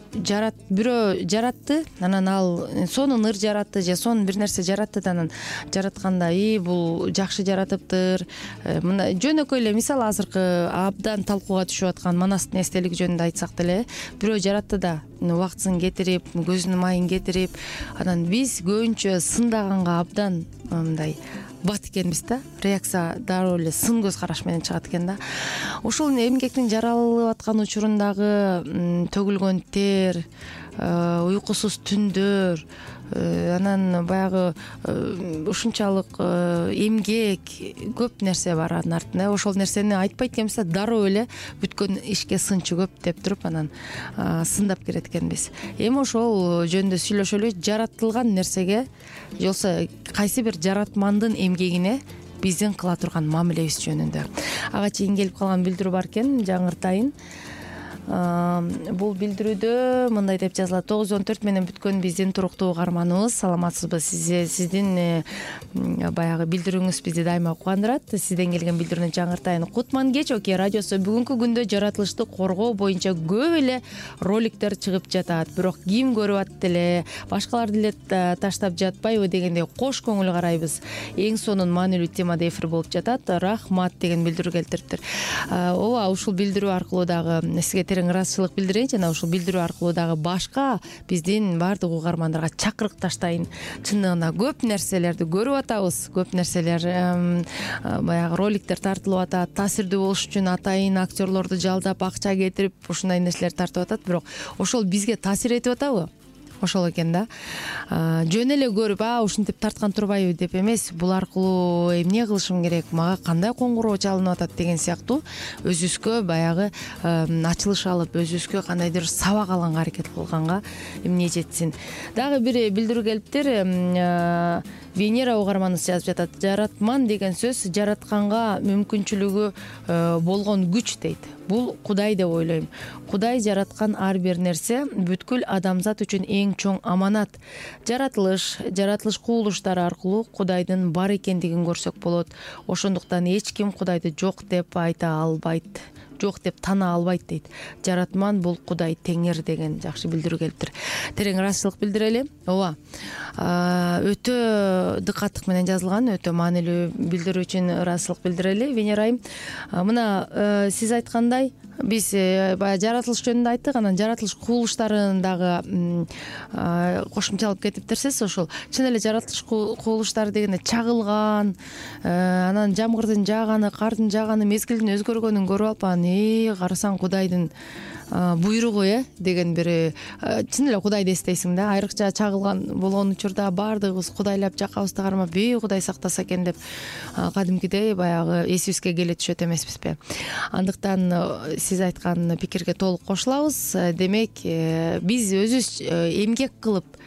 B: бирөө жаратты, анан ал сонун ыр жаратты же сонун бир нерсе жаратты да, анан жаратканда бул жакшы жаратыптыр. Мына жөнөкөй эле мисал, азыркы абдан талкууга түшүп аткан Манастын эстелиги жөнүндө айтсак деле, бирөө жаратты да, убактысын кетирип, көзүнүн майын кетирип, анан биз көбүнчө сындаганга абдан мындай бат экенбиз да, реакция дароо эле сын көз караш менен чыгат экен да. Ушул эмгектин жаралып аткан учурундагы төгүлгөн тер, уйкусуз түндөр, анан баягы ушунчалык эмгек, көп нерсе бар анын артында. Ошол нерсени айтпайт экенбиз да, дароо эле бүткөн ишке сынчы көп деп туруп, анан сындап кирет экенбиз. Эми ошол жөнүндө сүйлөшөлү. Жаратылган нерсеге же болбосо кайсы бир жаратмандын эмгегине биздин кыла турган мамилебиз жөнүндө. Ага чейин келип калган билдирүү бар экен, жаңыртайын. Бул билдирүүдө мындай деп жазылат: 914 менен бүткөн биздин туруктуу угарманыбыз, саламатсызбы? Сиздин баягы билдирүүңүз бизди дайыма кубандырат. Сизден келген билдирүүнү жаңыртайын. Кутман кеч Оке радиосу бүгүнкү күндө жаратылышты коргоо боюнча көп эле роликтер чыгып жатат. Бирок ким көрүп атты эле, башкалар деле таштап жатпайбы дегендей кош көңүл карайбыз. Эң сонун маанилүү темада эфир болуп жатат. Рахмат деген билдирүү келтириптир. Ооба, ушул билдирүү аркылуу дагы сизге ыраазычылык билдирейин, жана ушул билдирүү аркылуу дагы башка биздин баардык угармандарга чакырык таштайын. Чындыгында көп нерселерди көрүп атабыз, көп нерселер баягы роликтер тартылып атат, таасирдүү болуш үчүн атайын актерлорду жалдап, акча кетирип, ушундай нерселер тартып атат. Бирок ошол бизге таасир этип атабы? Ошол экен да. Жөн эле көрүп, ушинтип тарткан турбайбы деп эмес, бул аркылуу эмне кылышым керек, мага кандай коңгуроо чалынып атат деген сыяктуу өзүбүзгө баягы ачылыш алып, өзүбүзгө кандайдыр сабак алганга аракет кылганга эмне жетсин. Дагы бир билдирүү келиптир. Венера угарманыбыз жазып жатат: жаратман деген сөз жаратканга мүмкүнчүлүгү болгон күч дейт. Бул Кудай деп ойлойм. Кудай жараткан ар бир нерсе бүткүл адамзат үчүн эң эң чоң аманат. Жаратылыш кубулуштары аркылуу Кудайдын бар экендигин көрсөк болот. Ошондуктан эч ким Кудайды жок деп айта албайт. Жок деп тана албайт дейт. Жаратман бул Кудай Теңир деген жакшы билдирүү келиптир. Терең ыраазычылык билдирели. Ооба. Өтө дыкаттык менен жазылган, өтө маанилүү билдирүү үчүн ыраазычылык билдирели. Венера айым, мына сиз айткандай биз баягы жаратылыш жөнүндө айттык, анан жаратылыш кубулуштарын дагы кошумчалап кетиптерсиз. Ошол чын эле жаратылыш кубулуштары дегенде чагылган, анан жамгырдын жааганы, кардын жааганы, мезгилдин өзгөргөнүн көрүп алып, карасаң Кудайдын буйругу деген бир чын эле Кудайды эстейсиң да. Айрыкча чагылган болгон учурда баардыгыбыз кудайлап жакабызды кармап, Кудай сактаса экен деп кадимкидей баягы эсибизге келе түшөт эмеспизби? Андыктан сиз айткан пикирге толук кошулабыз. Демек, биз өзүбүз эмгек кылып,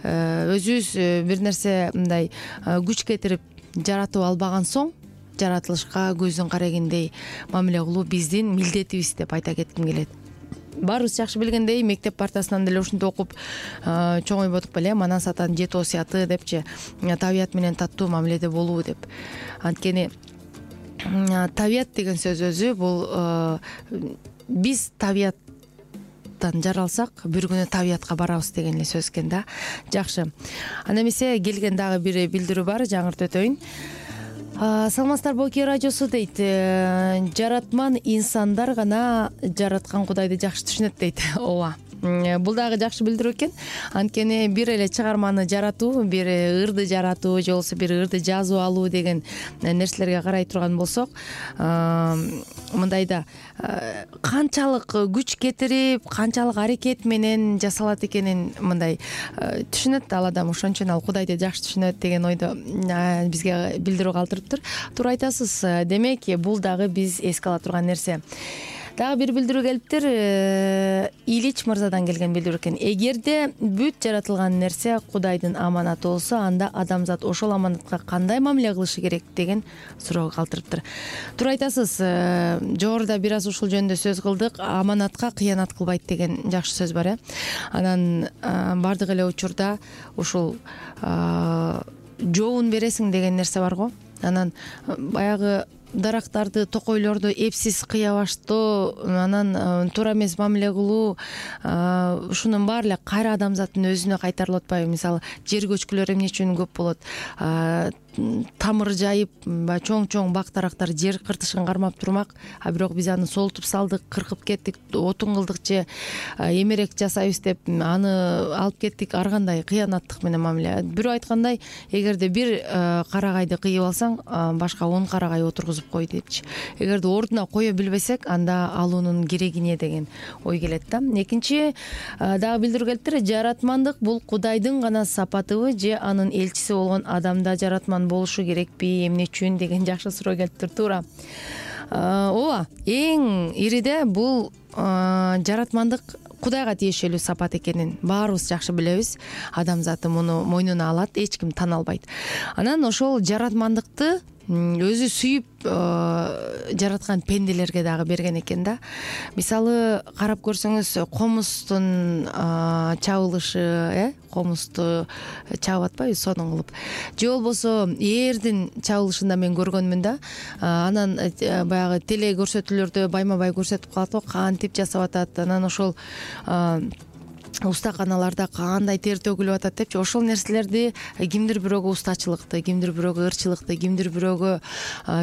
B: өзүбүз бир нерсе мындай күч кетирип жаратып албаган соң жаратылышка көздүн карагендей мамиле кылуу биздин милдетибиз деп айта кетким келет. Баарыбыз жакшы билгендей, мектеп партасынан деле ушинтип окуп чоңойбодук беле, манас атанын 7 осуяты депчи, табият менен таттуу мамиледе болуу деп. Анткени табият деген сөз өзү бул биз табияттан жаралсак, бир күнү табиятка барабыз деген эле сөз экен да. Жакшы. Анда эмесе келген дагы бир билдирүү бар, жаңыртып өтөйүн. Саламатсыздарбы, Оке радиосу дейт. Жаратман инсандар гана жараткан Кудайды жакшы түшүнөт дейт. Ооба. Бул дагы жакшы билдирүү экен. Анткени бир эле чыгарманы жаратуу, бир ырды жаратуу же болбосо бир ырды жазып алуу деген нерселерге карай турган болсок, мындайда канчалык күч кетирип, канчалык аракет менен жасалат экенин мындай түшүнөт ал адам. Ошон ал Кудайды жакшы түшүнөт деген ойдо бизге билдирүү калтырыптыр. Туура айтасыз. Демек, бул дагы биз эске ала турган нерсе. Дагы бир билдирүү келиптир. Илич мырзадан келген билдирүү экен. Эгерде бүт жаратылган нерсе Кудайдын аманаты болсо, анда адамзат ошол аманатка кандай мамиле кылышы керек деген суроо калтырыптыр. Туура айтасыз. Жогоруда бир аз ушул жөнүндө сөз кылдык. Аманатка кыянат кылбайт деген жакшы сөз бар, Анан бардык эле учурда ушул жообун бересиң деген нерсе бар го. Анан баягы дарактарды, токойлорду эпсиз кыябаштоо, анан туура эмес мамиле кылуу, ушунун баары эле кайра адамзаттын өзүнө кайтарылып атпайбы? Мисалы, жер көчкүлөр эмне үчүн көп болот? Тамыр жайып, чоң бак дарактар жер кыртышын кармап турмак, а бирок биз аны солтуп салдык, кыркып кеттик, отун кылдык же эмерек жасайбыз деп аны алып кеттик. Ар кандай кыянаттык менен мамиле. Бирөө айткандай, эгерде бир карагайды кыйып алсаң, башка 10 карагай отургузуп кой депчи. Эгерде ордуна кое билбесек, анда алуунун керегине деген ой келет да. Экинчи дагы билдирүү келиптир. Жаратмандык бул Кудайдын гана сапатыбы же анын элчиси болгон адамда жаратман болушу керекпи, эмне үчүн деген жакшы суроо келиптир. Туура. Ооба, эң ириде бул жаратмандык Кудайга тиешелүү сапат экенин баарыбыз жакшы билебиз. Адамзаты муну мойнуна алат, эч ким тана албайт. Анан ошол жаратмандыкты өзү сүйүп жараткан пенделерге дагы берген экен да. Мисалы, карап көрсөңүз, комустун чабылышы, комусту чабып атпайбы сонун кылып, же болбосо ээрдин чабылышында мен көргөнмүн да. Анан баягы теле көрсөтүүлөрдө байма бай көрсөтүп калат го, кантип жасап атат, анан ошол устаканаларда кандай тер төгүлүп атат депчи. Ошол нерселерди кимдир бирөөгө устачылыкты, кимдир бирөөгө ырчылыкты, кимдир бирөөгө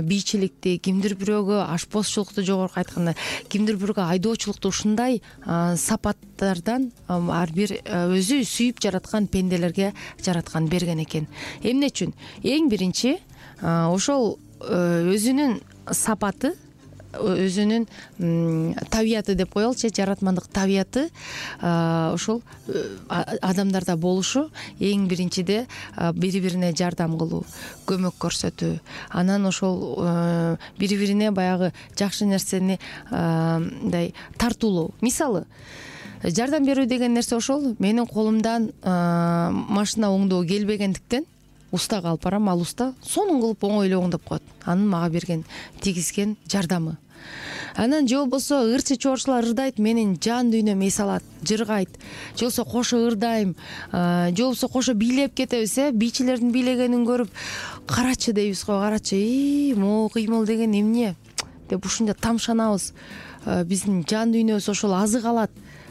B: бийчиликти, кимдир бирөөгө ашпозчулукту, жогорку айтканда кимдир бирөөгө айдоочулукту, ушундай сапаттардан ар бир өзү сүйүп жараткан пенделерге жараткан берген экен. Эмне үчүн? Эң биринчи ошол өзүнүн сапаты, өзүнүн табияты деп коелучу, жаратмандык табияты ошол адамдарда болушу. Эң биринчиде бири-бирине жардам кылуу, көмөк көрсөтүү, анан ошол бири-бирине баягы жакшы нерсени мындай тартуулоо. Мисалы, жардам берүү деген нерсе ошол. Менин колумдан машина оңдоо келбегендиктен устага алып барам, ал уста сонун кылып оңой эле оңдоп коет. Анын мага берген, тийгизген жардамы. Анан же болбосо ырчы чоорчулар ырдайт, менин жан дүйнөм эс алат, жыргайт, же болбосо кошо ырдайм, же болбосо кошо бийлеп кетебиз, бийчилердин бийлегенин көрүп карачы дейбиз го, карачы, могу кыймыл деген эмне деп ушунча тамшанабыз. Биздин жан дүйнөбүз ошол азык алат.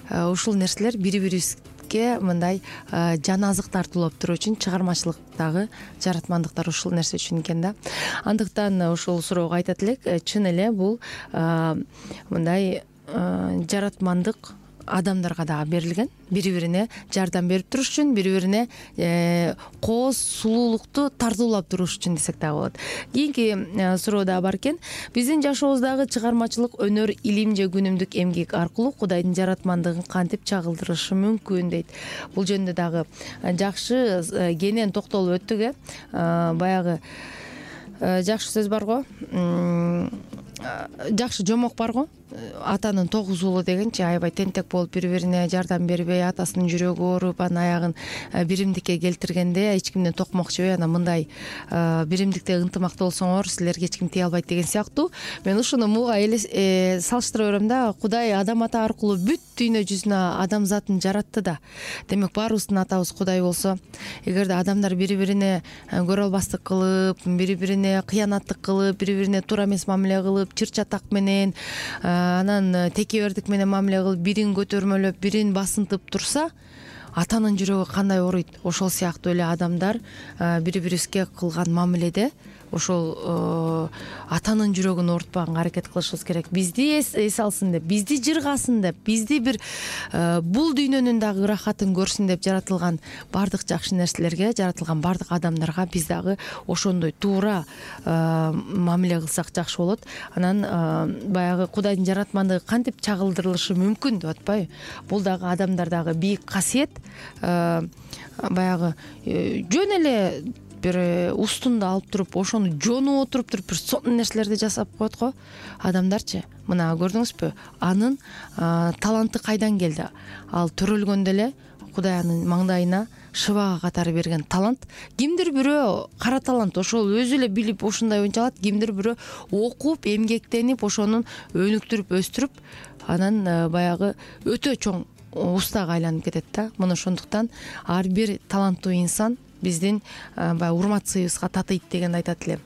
B: Ушул нерселер бири-бирибизге мындай жан азык тартуулап туруу үчүн чыгармачылыктагы жаратмандыктар ушул нерсе үчүн экен да. Андыктан ушул суроого айтат элек, чын эле бул мындай жаратмандык адамдарга дагы берилген, бири-бирине жардам берип туруш үчүн, бири-бирине кооз сулуулукту тартуулап туруш үчүн десек дагы болот. Кийинки суроо дагы бар экен. Биздин жашообуздагы чыгармачылык, өнөр, илим же күнүмдүк эмгек аркылуу Кудайдын жаратмандыгын кантип чагылдырышы мүмкүн дейт. Бул жөнүндө дагы жакшы кенен токтолуп өттүк. Баягы жакшы сөз бар го, жакшы жомок бар го, атанын 9 уулу дегенчи, аябай тентек болуп бири-бирине жардам бербей, атасынын жүрөгү ооруп, анын аягын биримдикке келтиргенде эч кимден токмок жебей, анан мындай биримдикте ынтымактуу болсоңор силерге эч ким тие албайт деген сыяктуу. Мен ушуну муга салыштыра берем да. Кудай адам ата аркылуу бүт дүйнө жүзүнө адамзатын жаратты да. Демек баарыбыздын атабыз Кудай болсо, эгерде адамдар бири-бирине көрө албастык кылып, бири-бирине кыянаттык кылып, бири-бирине туура эмес мамиле кылып, чыр-чатак менен, анан текебердик менен мамиле кылып, бирин көтөрмөлөп, бирин басынтып турса, атанын жүрөгү кандай ооруйт? Ошол сыяктуу эле адамдар бири-бирибизге кылган мамиледе ошол атанын жүрөгүн оорутпаганга аракет кылышыбыз керек. Бизди эс алсын деп, бизди жыргасын деп, бизди бир бул дүйнөнүн дагы ырахатын көрсүн деп жаратылган бардык жакшы нерселерге, жаратылган бардык адамдарга биз дагы ошондой туура мамиле кылсак жакшы болот. Анан баягы Кудайдын жаратмандыгы кантип чагылдырылышы мүмкүн деп атпайбы? Бул дагы адамдардагы бийик касиет. Баягы жөн эле бир устунду алып туруп, ошону жонуп отуруп бир сонун нерселерди жасап коет го адамдарчы. Мына көрдүңүзбү? Анын таланты кайдан келди? Ал төрөлгөндө эле Кудай анын маңдайына шыбага катары берген талант. Кимдир бирөө кара талант, ошол өзү эле билип ушундай ойнчо алат. Кимдир бирөө окуп, эмгектенип, ошонун өнүктүрүп, өстүрүп, анан баягы өтө чоң устага айланып кетет да. Мына ошондуктан ар бир таланттуу инсан биздин баягы урмат сыйыбызга татыйт дегенди айтат элем.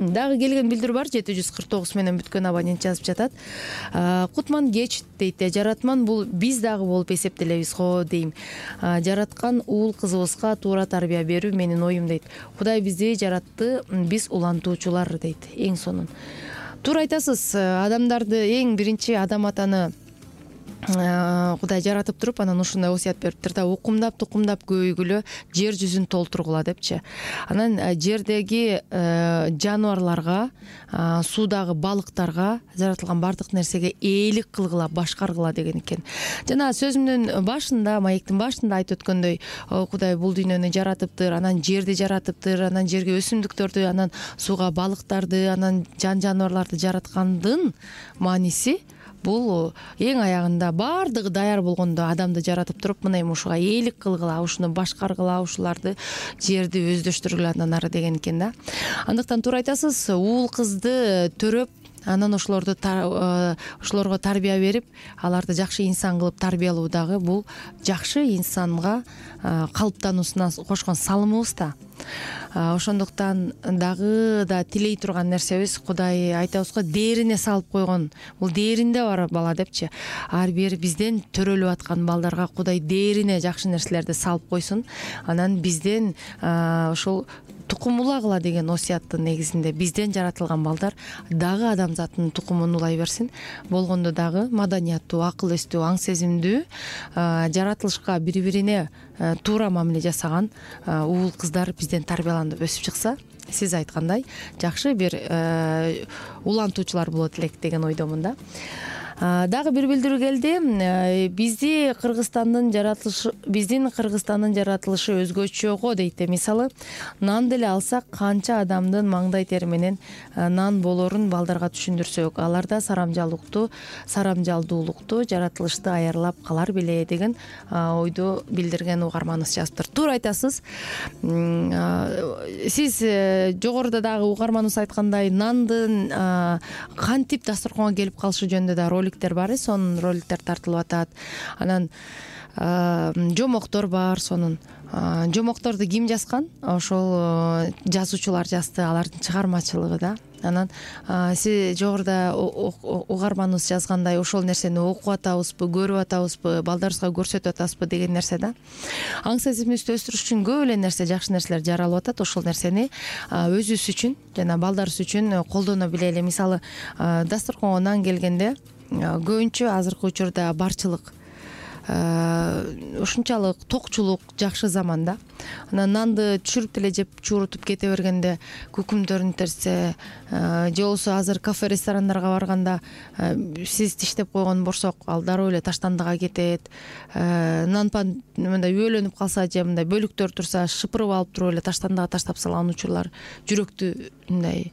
B: Дагы келген билдирүү бар, 749 менен бүткөн абонент жазып жатат. Кутман кеч дейт, жаратман бул биз дагы болуп эсептелебиз го дейм. Жараткан уул кызыбызга туура тарбия берүү менин оюм дейт. Кудай бизди жаратты, биз улантуучулар дейт. Эң сонун. Туура айтасыз, адамдарды эң биринчи адам атаны Кудай жаратып туруп, анан ушундай осуят бериптир да, укумдап, тукумдап көбөйгүлө, жер жүзүн толтургула депчи. Анан жердеги жаныбарларга, суудагы балыктарга, жаратылган бардык нерсеге ээлик кылгыла, башкаргыла деген экен. Жана сөзүмдүн башында, маектин башында айтып өткөндөй, Кудай бул дүйнөнү жаратыптыр, анан жерди жаратыптыр, анан жерге өсүмдүктөрдү, анан сууга балыктарды, анан жаныбарларды жараткандын мааниси бул эң аягында бардыгы даяр болгондо адамды жаратып туруп, мына эми ушуга ээлик кылгыла, ушуну башкаргыла, ушуларды жерди өздөштүргүлө андан ары деген экен да. Андыктан туура айтасыз, уул кызды төрөп, анан ошолорго тарбия берип, аларды жакшы инсан кылып тарбиялоо дагы бул жакшы инсанга калыптануусуна кошкон салымыбыз да. Ошондуктан дагы да тилей турган нерсебиз, Кудай айтабыз го, дээрине салып койгон, бул дээринде бар бала депчи. Ар бир бизден төрөлүп аткан балдарга Кудай дээрине жакшы нерселерди салып койсун. Анан бизден ошол тукум улагыла деген осуяттын негизинде бизден жаратылган балдар дагы адамзаттын тукумун улай берсин. Болгондо дагы маданияттуу, акыл эстүү, аң сезимдүү, жаратылышка бири-бирине туура мамиле жасаган уул кыздар бизден тарбияланып өсүп чыкса, сиз айткандай жакшы бир улантуучулар болот элек деген ойдомун да. Дагы бир билдирүү келди. Биздин Кыргызстандын жаратылышы өзгөчө го дейт. Мисалы, нан деле алсак, канча адамдын маңдай тери менен нан болорун балдарга түшүндүрсөк, аларда сарамжалдуулукту, жаратылышты аярлап калар беле деген ойду билдирген угарманыбыз жазыптыр. Туура айтасыз. Сиз жогоруда дагы угарманыбыз айткандай, нандын кантип дасторконго келип калышы жөнүндө да роликтер бар. Сонун роликтер тартылып атат. Анан жомоктор бар. Сонун жомокторду ким жазган? Ошол жазуучулар жазды, алардын чыгармачылыгы да. Анан сиз жогоруда угарманыбыз жазгандай, ошол нерсени окуп атабызбы, көрүп атабызбы, балдарыбызга көрсөтүп атабызбы деген нерсе да. Аң сезимибизди өстүрүш үчүн көп эле нерсе, жакшы нерселер жаралып атат. Ошол нерсени өзүбүз үчүн жана балдарыбыз үчүн колдоно билели. Мисалы, дасторконго нан келгенде көбүнчө азыркы учурда барчылык, ушунчалык токчулук жакшы заманда. Анан нанды түшүрүп деле жеп чуурутуп кете бергенде күкүмдөрүн терсе, же болбосо азыр кафе ресторандарга барганда сиз тиштеп койгон борсок ал дароо эле таштандыга кетет. Нанпан мындай үйлөнүп калса же мындай бөлүктөр турса, шыпырып алып туруп эле таштандыга таштап салган учурлар жүрөктү мындай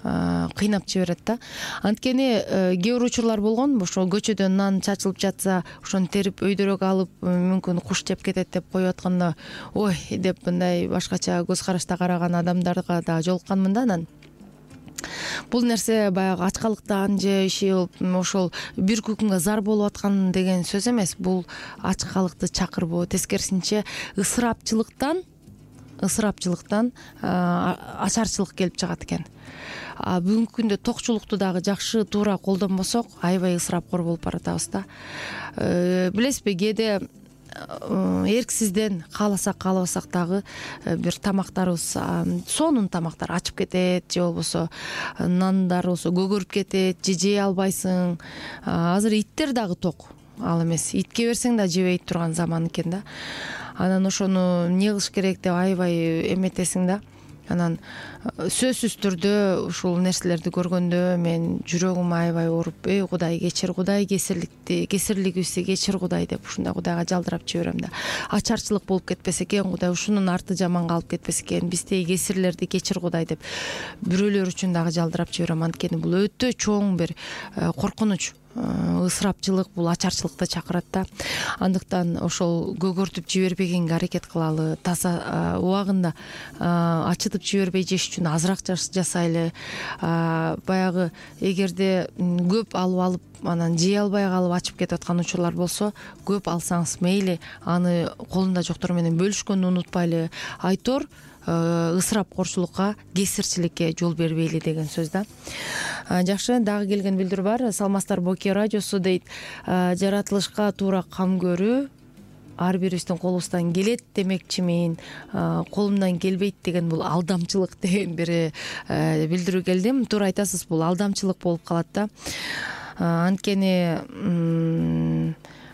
B: кыйнап жиберет да. Анткени кээ бир учурлар болгон, ошо көчөдөн нан чачылып жатса, ошону терип өйдөрөк алып, мүмкүн куш жеп кетет деп коюп атканда, ой деп мындай башкача көз карашта караган адамдарга да жолукканмын да. Анан бул нерсе баягы ачкалыктан же ошол бир күкүмгө зар болуп аткан деген сөз эмес. Бул ачкалыкты чакырбоо, тескерисинче ысырапчылыктан ачарчылык келип чыгат экен. Бүгүнкү күндө токчулукту дагы жакшы туура колдонбосок, аябай ысырапкор болуп баратабыз да. Билесизби, кээде эрксизден кааласак каалабасак дагы бир тамактарыбыз, сонун тамактар ачып кетет, же болбосо нандар болсо көгөрүп кетет, же жей албайсың. Азыр иттер дагы ток, ал эмес, итке берсең да жебей турган заман экен да. Анан ошону эмне кылыш керек деп аябай эметесиң да. Анан сөзсүз түрдө ушул нерселерди көргөндө мен жүрөгүм аябай ооруп, эй Кудай кечир, Кудай кесирлигибизди кечир Кудай деп ушундай Кудайга жалдырап жиберем да. Ачарчылык болуп кетпесе экен, Кудай ушунун арты жаманга алып кетпесе экен, биздеги кесирлерди кечир Кудай деп бирөөлөр үчүн дагы жалдырап жиберем. Анткени бул өтө чоң бир коркунуч. Ысырапчылык бул ачарчылыкты чакырат да. Андыктан ошол көгөртүп жибербегенге аракет кылалы, таза убагында ачытып жибербей жеш үчүн азыраак жасайлы. Баягы эгерде көп алып анан жей албай калып ачып кетип аткан учурлар болсо, көп алсаңыз мейли, аны колунда жоктор менен бөлүшкөндү унутпайлы. Айтор ысырапкорчулукка, кесирчиликке жол бербейли деген сөз да. Жакшы, дагы келген билдирүү бар. Салмастарбы, Оке радиосу дейт, жаратылышка туура кам көрүү ар бирибиздин колубуздан келет демекчимин, колумдан келбейт деген бул алдамчылык деген бир билдирүү келди. Туура айтасыз, бул алдамчылык болуп калат да. Анткени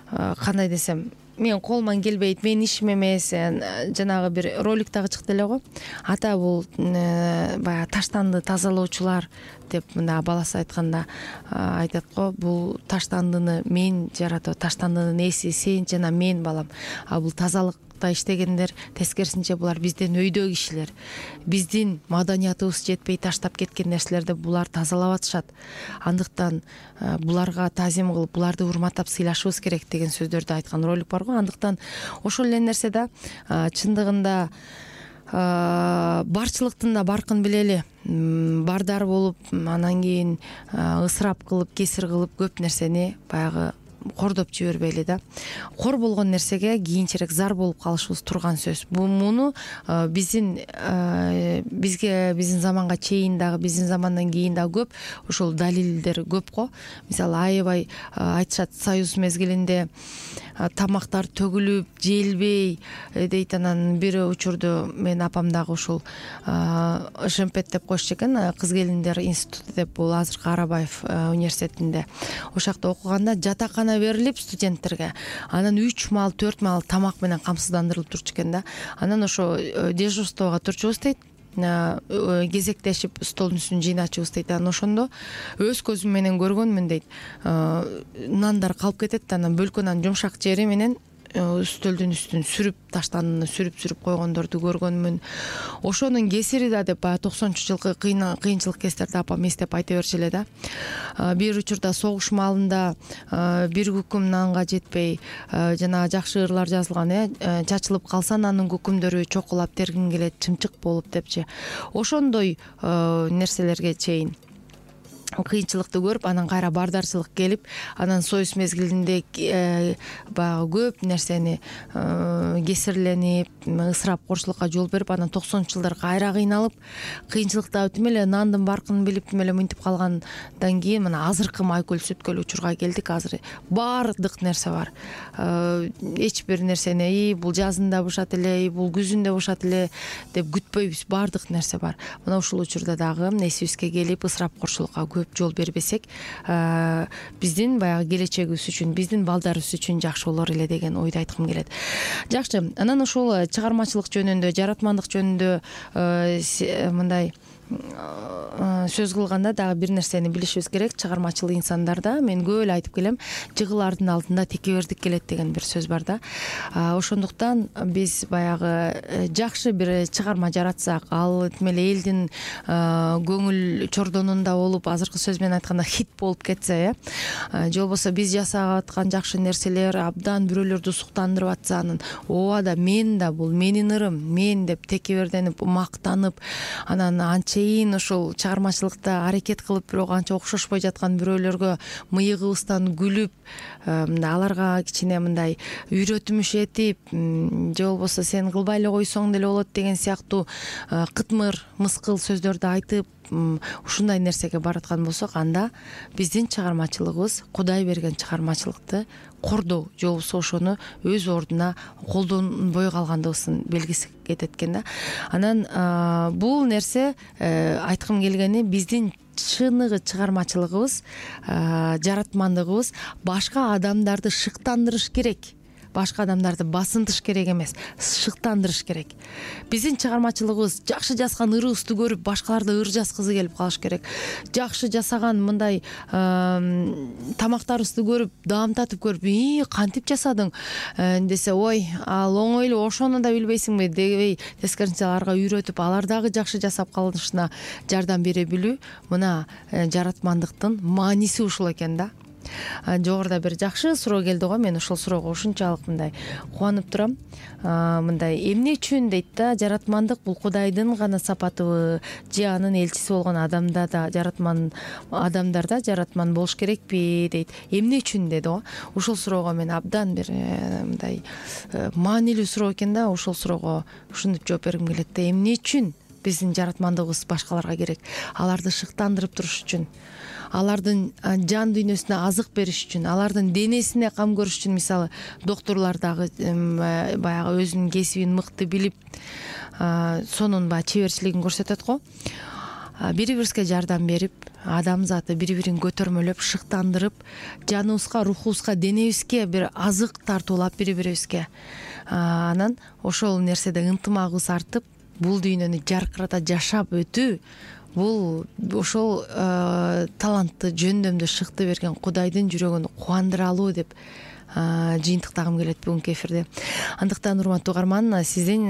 B: кандай десем, мен колуман келбейт, менин ишим эмес. Жанагы бир ролик дагы чыкты эле го. Ата бул баягы таштанды тазалоочулар деп мына баласы айтканда айтат го, бул таштандыны мен жаратып, таштандынын ээси сен жана мен балам. Бул тазалыкта иштегендер, тескерисинче булар бизден өйдө кишилер. Биздин маданиятыбыз жетпей таштап кеткен нерселерди булар тазалап атышат. Андыктан буларга таазим кылып, буларды урматтап сыйлашыбыз керек деген сөздөрдү айткан ролик бар го. Андыктан ошол эле нерсе да чындыгында барчылыктын да баркын билели. Бардар болуп, анан кийин ысырап кылып, кесир кылып көп нерсени баягы кордоп жибербейли да. Кор болгон нерсеге кийинчерээк зар болуп калышыбыз турган сөз. Муну биздин заманга чейин дагы, биздин замандан кийин дагы көп ошол далилдер көп го. Мисалы, аябай айтышат, Союз мезгилинде тамактар төгүлүп, желбей дейт. Анан бир учурду мен апам дагы ушул Шемпет деп коюшчу экен, кыз келиндер институту деп, бул азыркы Арабаев университетинде. Ошол жакта окуганда жатакана берилип студенттерге, анан 3 мал 4 мал тамак менен камсыздандырылып турчу экен да. Анан ошо дежурствого турчубуз дейт. кезектешип столдун үстүн жыйначубыз дейт. Анан ошондо өз көзүм менен көргөнмүн дейт. Нандар калып кетет, анан бөлкө нан жумшак жери менен үстөлдүн үстүн сүрүп таштанына сүрүп койгондорду көргөнмүн. Ошонун кесири да деп баягы 90-ч жылкы кыйынчылык кездерде апам эстеп айта берчү эле да. Бир учурда согуш маалында бир күкүм нанга жетпей жанагы жакшы ырлар жазылган, чачылып калса нанын күкүмдөрү чокулап тергин келет, чымчык болуп депчи. Ошондой нерселерге чейин кыйынчылыкты көрүп, анан кайра бардарчылык келип, анан союз мезгилинде баягы көп нерсени кесирленип, ысырап корчулукка жол берип, анан 90-ч жылдар кайра кыйналып, кыйынчылыкта тим эле нандын баркын билип тим эле мынтип калгандан кийин мына азыркы майкөл сүткөл учурга келдик. Азыр баардык нерсе бар. Эч бир нерсени бул жазында бушат эле, бул күзүндө бушат эле деп күтпөйбүз. Баардык нерсе бар. Мына ушул учурда дагы эсибизге келип, ысырап корчулукка көп жол бербесек, биздин баягы келечегибиз үчүн, биздин балдарыбыз үчүн жакшы болор эле деген ойду айткым келет. Жакшы. Анан ошол чыгармачылык жөнүндө, жаратмандык жөнүндө мындай сөз кылганда дагы бир нерсени билишибиз керек. Чыгармачыл инсандарда мен көп эле айтып келем, жыгылардын алдында текебердик келет деген бир сөз бар да. Ошондуктан биз баягы жакшы бир чыгарма жаратсак, ал тим эле элдин көңүл чордонунда болуп, азыркы сөз менен айтканда хит болуп кетсе, же болбосо биз жасап аткан жакшы нерселер абдан бирөөлөрдү суктандырып атса, анан ооба да мен да бул менин ырым, мен деп текеберденип, мактанып, анан анча ошол чыгармачылыкта аракет кылып, бирок анча окшошпой жаткан бирөөлөргө мыйыгыбыздан күлүп, аларга кичине мындай үйрөтүмүш этип, же болбосо сен кылбай эле койсоң деле болот деген сыяктуу кытмыр, мыскыл сөздөрдү айтып, ушундай нерсеге бараткан болсок, анда биздин чыгармачылыгыбыз Кудай берген чыгармачылыкты кордоо, же болбосо ошону өз ордуна колдонбой калгандыгыбыздын белгиси кетет экен да. Анан бул нерсе айткым келгени, биздин чыныгы чыгармачылыгыбыз, жаратмандыгыбыз башка адамдарды шыктандырыш керек. Башка адамдарды басынтыш керек эмес, шыктандырыш керек. Биздин чыгармачылыгыбыз жакшы жазган ырыбызды көрүп, башкаларды ыр жазгысы келип калыш керек. Жакшы жасаган мындай тамактарыбызды көрүп, даамтатып көрүп, кантип жасадың десе, ой, ал оңой эле, ошону да билбейсиңби дебей, тескерисинче аларга үйрөтүп, алар дагы жакшы жасап калышына жардам бере билүү, мына жаратмандыктын мааниси ушул экен да. Жогоруда бир жакшы суроо келди го, мен ошол суроого ушунчалык мындай кубанып турам. Мындай эмне үчүн дейт да, жаратмандык бул Кудайдын гана сапатыбы, же анын элчиси болгон адамдарда жаратман болуш керекпи дейт. Эмне үчүн деди го. Ушул суроого мен абдан бир мындай маанилүү суроо экен да. Ушул суроого ушинтип жооп бергим келет да. Эмне үчүн биздин жаратмандыгыбыз башкаларга керек? Аларды шыктандырып туруш үчүн, алардын жан дүйнөсүнө азык бериш үчүн, алардын денесине кам көрүш үчүн. Мисалы, доктурлар дагы баягы өзүнүн кесибин мыкты билип, сонун баягы чеберчилигин көрсөтөт го. Бири-бирибизге жардам берип, адамзаты бири-бирин көтөрмөлөп, шыктандырып, жаныбызга, рухубузга, денебизге бир азык тартуулап бири-бирибизге. Анан ошол нерседе ынтымагыбыз артып, бул дүйнөнү жаркырата жашап өтүү, бул ошол талантты, жөндөмдү, шыкты берген Кудайдын жүрөгүн кубандыра алуу деп жыйынтыктагым келет бүгүнкү эфирде. Андыктан урматтуу угарман, сиздин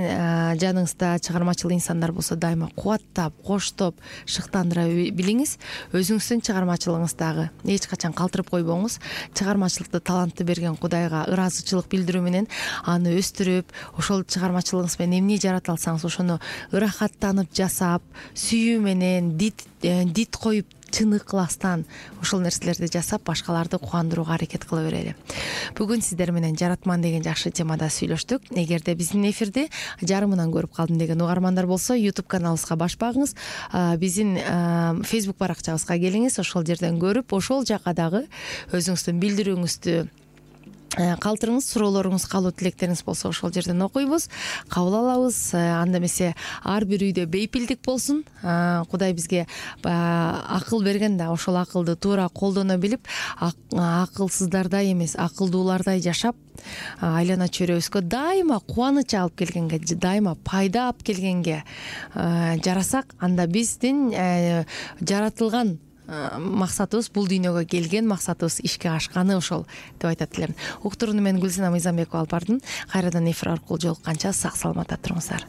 B: жаныңызда чыгармачыл инсандар болсо, дайыма кубаттап, коштоп, шыктандыра билиңиз. Өзүңүздүн чыгармачылыгыңыздагы эч качан калтырып койбоңуз. Чыгармачылыкты, талантты берген Кудайга ыраазычылык билдирүү менен аны өстүрүп, ошол чыгармачылыгыңыз менен эмне жарата алсаңыз, ошону ырахаттанып жасап, сүйүү менен, дит коюп, чын ыкластан ошол нерселерди жасап, башкаларды кубандырууга аракет кыла берели. Бүгүн сиздер менен жаратман деген жакшы темада сүйлөштүк. Эгерде биздин эфирди жарымынан көрүп калдым деген угармандар болсо, YouTube каналыбызга баш багыңыз, биздин Facebook баракчабызга келиңиз, ошол жерден көрүп, ошол жака дагы өзүңүздүн билдирүүңүздү калтырыңыз, суроолоруңуз, каалоо тилектериңиз болсо ошол жерден окуйбуз, кабыл алабыз. Анда эмесе ар бир үйдө бейпилдик болсун. Кудай бизге акыл берген да, ошол акылды туура колдоно билип, акылсыздардай эмес, акылдуулардай жашап, айлана чөйрөбүзгө дайыма кубаныч алып келгенге, дайыма пайда алып келгенге жарасак, анда биздин жаратылган максатыбыз, бул дүйнөгө келген максатыбыз ишке ашканы ошол деп айтат элем. Уктурууну мен Гүлсина Мыйзамбекова алып бардым. Кайрадан эфир аркылуу жолукканча сак саламатта туруңуздар.